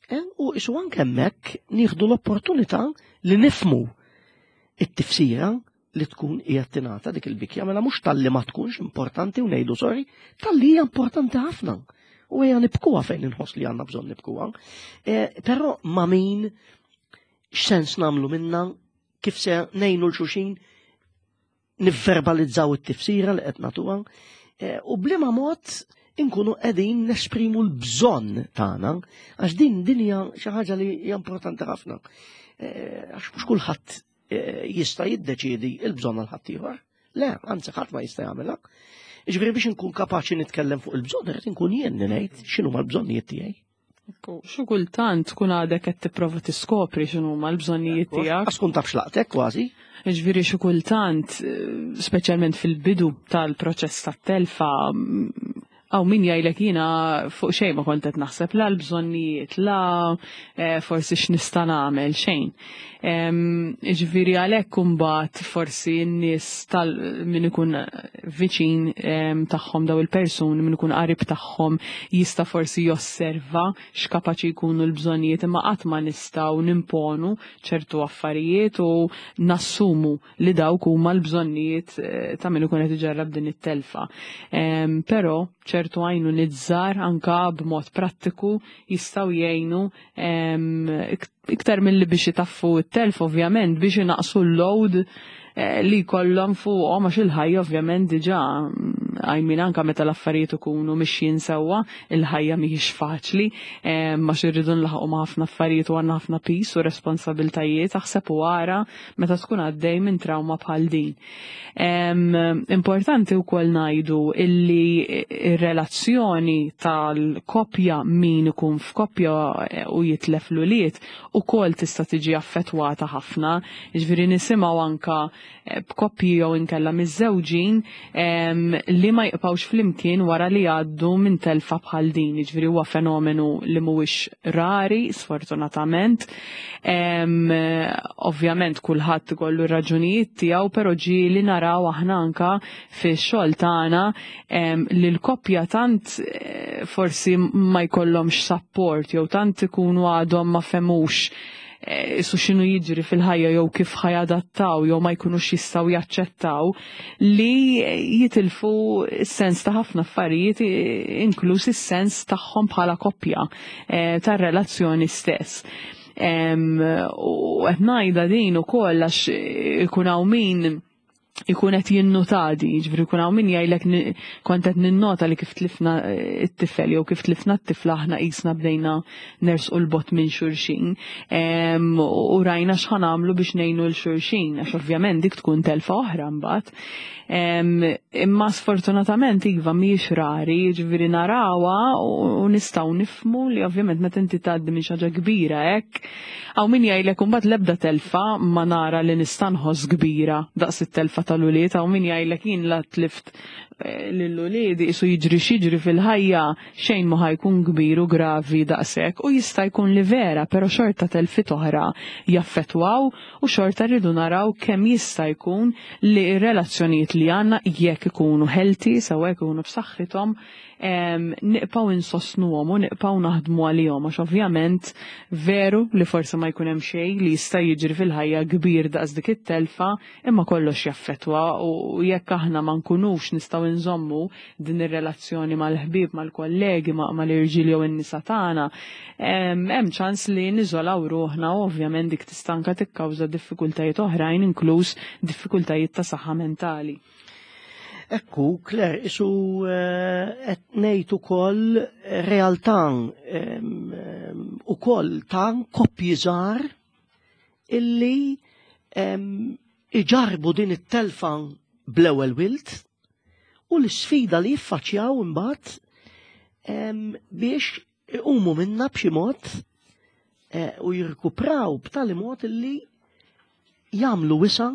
Eh, u isu anke hemmhekk nieħdu l-opportunità li nifmu it-tifsira li tkun qiegħed tingħata dik il-bikja, mela mhux talli ma tkunx importanti u ngħidu sorry, talli hija importanti ħafna. U hija nibkuha fejn inħoss li għandna bżonn nibkuha. Eh, però ma' min, x'sens nagħmlu minna, kif se ngħinu 'l xulxin nivverbalizzaw it-tifsira li qed nagħtuha, eh, u b'liema mod inkunu qegħdin nesprimu l-bżonn tagħna, għax din din hija xi ħaġa li hija importanti ħafna. Eh, għax mhux kulħadd eh, jista' jiddeċiedi l-bżonn għal ħaddieħor. Le, anzi, ħadd ma jista' jagħmilha. Ġifieri biex inkun kapaċi nitkellem fuq il-bżonn, irid inkun jien li ngħid x'inhuma l-bżonnijiet tiegħi. Ekku, xi kultant tkun għadek qed tipprova tiskopri x'inhuma l-bżonnijiet tiegħek. Għax tkun taf x'laqtek kważi. Ġifieri xi kultant, eh, speċjalment fil-bidu tal-proċess tat-telfa, għaw min jgħidlek, "Jiena fuq xejn ma kont qed naħseb, la l-bżonnijiet, la eh, forsi x'nista' nagħmel, xejn." Ġifieri għalhekk imbagħad forsi n-nies tal min ikun viċin tagħhom daw il-persuni, min ikun qarib tagħhom, jista' forsi josserva x'kapaċi jkunu l-bżonnijiet, imma qatt ma nistgħu nimponu ċertu affarijiet u nassumu li dawk huma l-bżonnijiet eh, ta' min ikun qed iġarrab din it-telfa. Però ċertu għajnuniet żgħar anka b'mod prattiku jistgħu jgħinu iktar mill-li biex jitaffu t-telf, ovvjament, biex inaqsu l-load eh, li kollhom fuqhom, għax il-ħajja ovvjament diġà għajmin anka meta l-affarijiet ikunu mixjin sewwa, il-ħajja mhijiex faċli, ma irridu nlaħqu ma' ħafna affarijiet u għandna ħafna piż u responsabiltajiet, aħseb u ara meta tkun għaddej minn trauma bħal din. Importanti wkoll ngħidu illi ir-relazzjoni tal-koppja, min ikun f'koppja u jitlef l-ulied, ukoll tista' tiġi affettwata ħafna. Ġifieri nisimgħu anka eh, b'koppji jew inkella miżżewġin li ma jibqgħux flimkien wara li jgħaddu minn telfa bħal din. Ġifieri huwa fenomenu li mhuwiex rari, sfortunatament. Ovvjament kulħadd ikollu raġunijiet tiegħu, però ġieli naraw aħna anka fix-xogħol tagħna li l-koppja tant eh, forsi ma jkollhomx support jew tant ikunu għadhom ma fehmux eh, su x'inhu jiġri fil-ħajja jew kif ħa jadattaw jew ma jkunux jistgħu jaċċettaw li jitilfu s-sens ta' ħafna affarijiet, inkluż is-sens tagħhom bħala koppja, eh, tar-relazzjoni stess. U qed ngħidha din ukoll għax ikun hawn min ikun qed jinnotadi, jiġifieri jkun hawn min jgħidlek, "Kont qed ninnota li kif tlifna t-tifel jew kif tlifna t-tifla aħna qisna bdejna nersqu 'l bogħod minn xulxin. U rajna x'ħa nagħmlu biex ngħinu 'l xulxin", għax ovvjament dik tkun telfa oħra mbagħad. Imma sfortunatament iva, mhijiex rari, jiġifieri narawha u nistgħu nifhmu li ovvjament meta inti tgħaddi minn xi ħaġa kbira hekk, hawn min jgħidlek imbagħad, "L-ebda telfa ma nara li nista' nħoss kbira daqs it-telfa tal-ulied." Hawn min jgħidlek, "Jien la tlift eh, lil-uliedi isu jiġri x'jiġri fil-ħajja xejn ma ħa jkun kbir u gravi daqshekk", u jista' jkun li vera, però xorta telfiet oħra jaffettwaw u xorta rridu naraw kemm jista' jkun li r-relazzjonijiet li għandna, jekk ikunu healthy, sewa jkunu b'saħħithom, nibqgħu insostnuhom u nibqgħu naħdmu għalihom, għax ovvjament veru li forsi ma jkun hemm xejn li jista' jiġri fil-ħajja kbir daqs dik it-telfa, imma kollox jaffettwa u jekk aħna ma nkunux nistgħu nżommu din ir-relazzjoni mal-ħbieb, mal-kollegi, mal-irġiel jew in-nisa tagħna, hemm ċans li niżolaw ruħna u ovvjament dik tista' anke tikkawża diffikultajiet oħrajn, inkluż diffikultajiet ta' saħħa mentali. Ekku, Claire, isu eh, qed ngħid ukoll realtà ukoll ta' koppji żgħar illi iġarbu din it-telfa bl-ewwel wild u l-sfida li jiffaċċjaw imbagħad biex iqumu minna b'xi mod eh, u jirkupraw b'tali mod illi jagħmlu wisa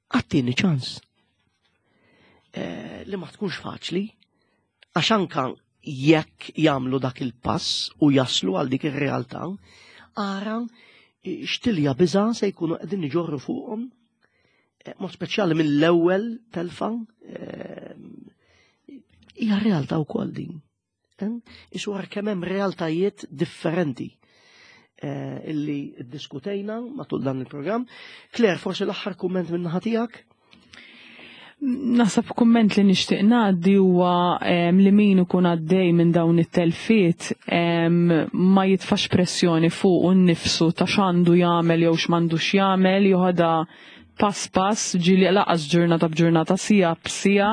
għat-tieni ċans. Eh, li ma tkunx faċli, għax anka jekk jagħmlu dak il-pass u jaslu għal dik ir-realtà, ara x'tilja biża se jkunu qegħdin iġorru fuqhom. Mod speċjali mill-ewwel telfa, hija realtà wkoll din. Isu kemm hemm realtajiet differenti illi ddiskutejna matul dan il-programm. Claire, forsi l-aħħar kumment minn naħa tiegħek? Naħseb kumment li nixtieq ngħaddi huwa li min ikun għaddej minn dawn it-telfiet ma jitfax pressjoni fuq innifsu ta' x'għandu jagħmel jew x'm'għandux jagħmel, joħodha pass pass, ġieli lanqas ġurnata b'ġurnata, siegħa b'siegħa,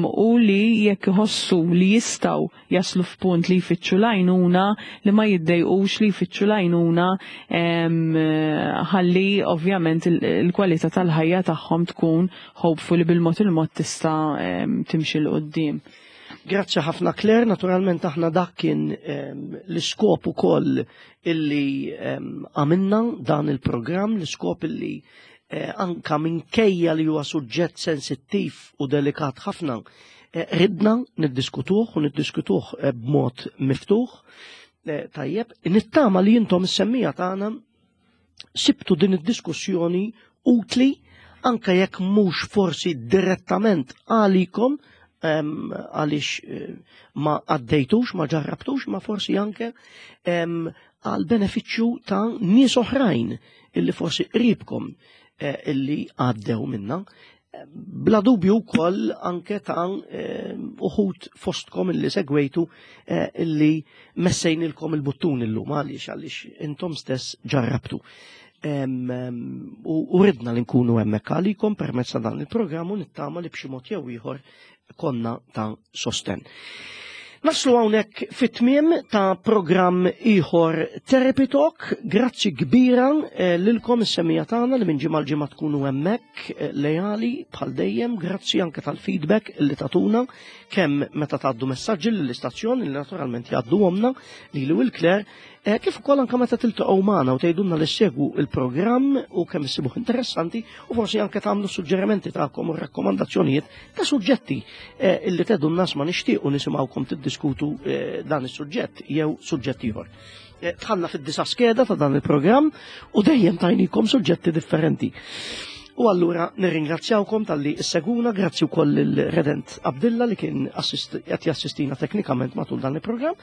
u li jekk iħossu li jistgħu jaslu f'punt li jfittxu l-għajnuna, li ma jiddejqux li jfittxu l-għajnuna, ħalli ovvjament il-kwalità tal-ħajja tagħhom tkun hopefully bil-mod il-mod tista' timxi 'l quddiem. Grazzi ħafna, Claire, naturalment aħna dak kien l-iskop ukoll illi għamilna dan il-programm, l-iskop illi anka minkejja li huwa suġġett sensittiv u delikat ħafna, ridna niddiskutuh u niddiskutuh b'mod miftuħ. Tajjeb, nittama li intom is-semmiegħa tagħna sibtu din id-diskussjoni utli, anka jekk mhux forsi direttament għalikom, għaliex ma għaddejtux, ma ġarrabtux, ma forsi anke għal benefiċċju ta' nies oħrajn illi forsi qribkom illi għaddew minna. Bla dubju wkoll anke ta' uħud fostkom illi segwejtu illi messejnilkom il-buttun illum, għaliex għaliex intom stess ġarrabtu. U ridna li nkunu hemmhekk għalikom permezz ta' dan il-programm u nittama li b'xi mod jew ieħor konna ta' sosten. Naslu hawnhekk fit-tmiem ta' programm ieħor Therapy Talk. Grazzi kbira lilkom is-semmiegħa tagħna li minn ġimgħa l-ġimgħa tkunu hemmhekk lejali bħal dejjem. Grazzi anke tal-feedback li tatuna kemm meta tgħaddu messaġġi lill-istazzjon li naturalment jgħadduhomna lili u l-Claire, kif ukoll anke meta tiltaqgħu magħna u tgħidulna li ssegwu il-programm u kemm issibuh interessanti u forsi anke tagħmlu suġġerimenti tagħkom u rakkomandazzjonijiet ta' suġġetti illi tgħidulna ma nixtiequ nisimgħukom tiddiskutu dan is-suġġett jew suġġett ieħor. Dħalna fid-disa' skeda ta' dan il-programm u dejjem tajnikom suġġetti differenti. U allura nirringrazzjawkom talli ssegwuna, grazzi wkoll il-Redent Abdilla li kien qed jassistina teknikament matul dan il-programm.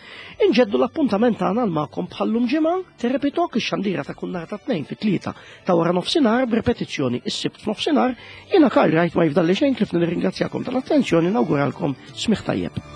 Inġeddu l-appuntament tagħna għal magħkom bħallum ġimgħa, Therapy Talk, ix-xandira ta' kull nhar ta' tnejn fit-tlieta ta' wara nofsinhar b'repetizzjoni is-Sibt f'nofsinhar. Jiena Karl Wright, ma jifdalli xejn kif nirringrazzjakom tal-attenzjoni, nawguralkom smigħ tajjeb.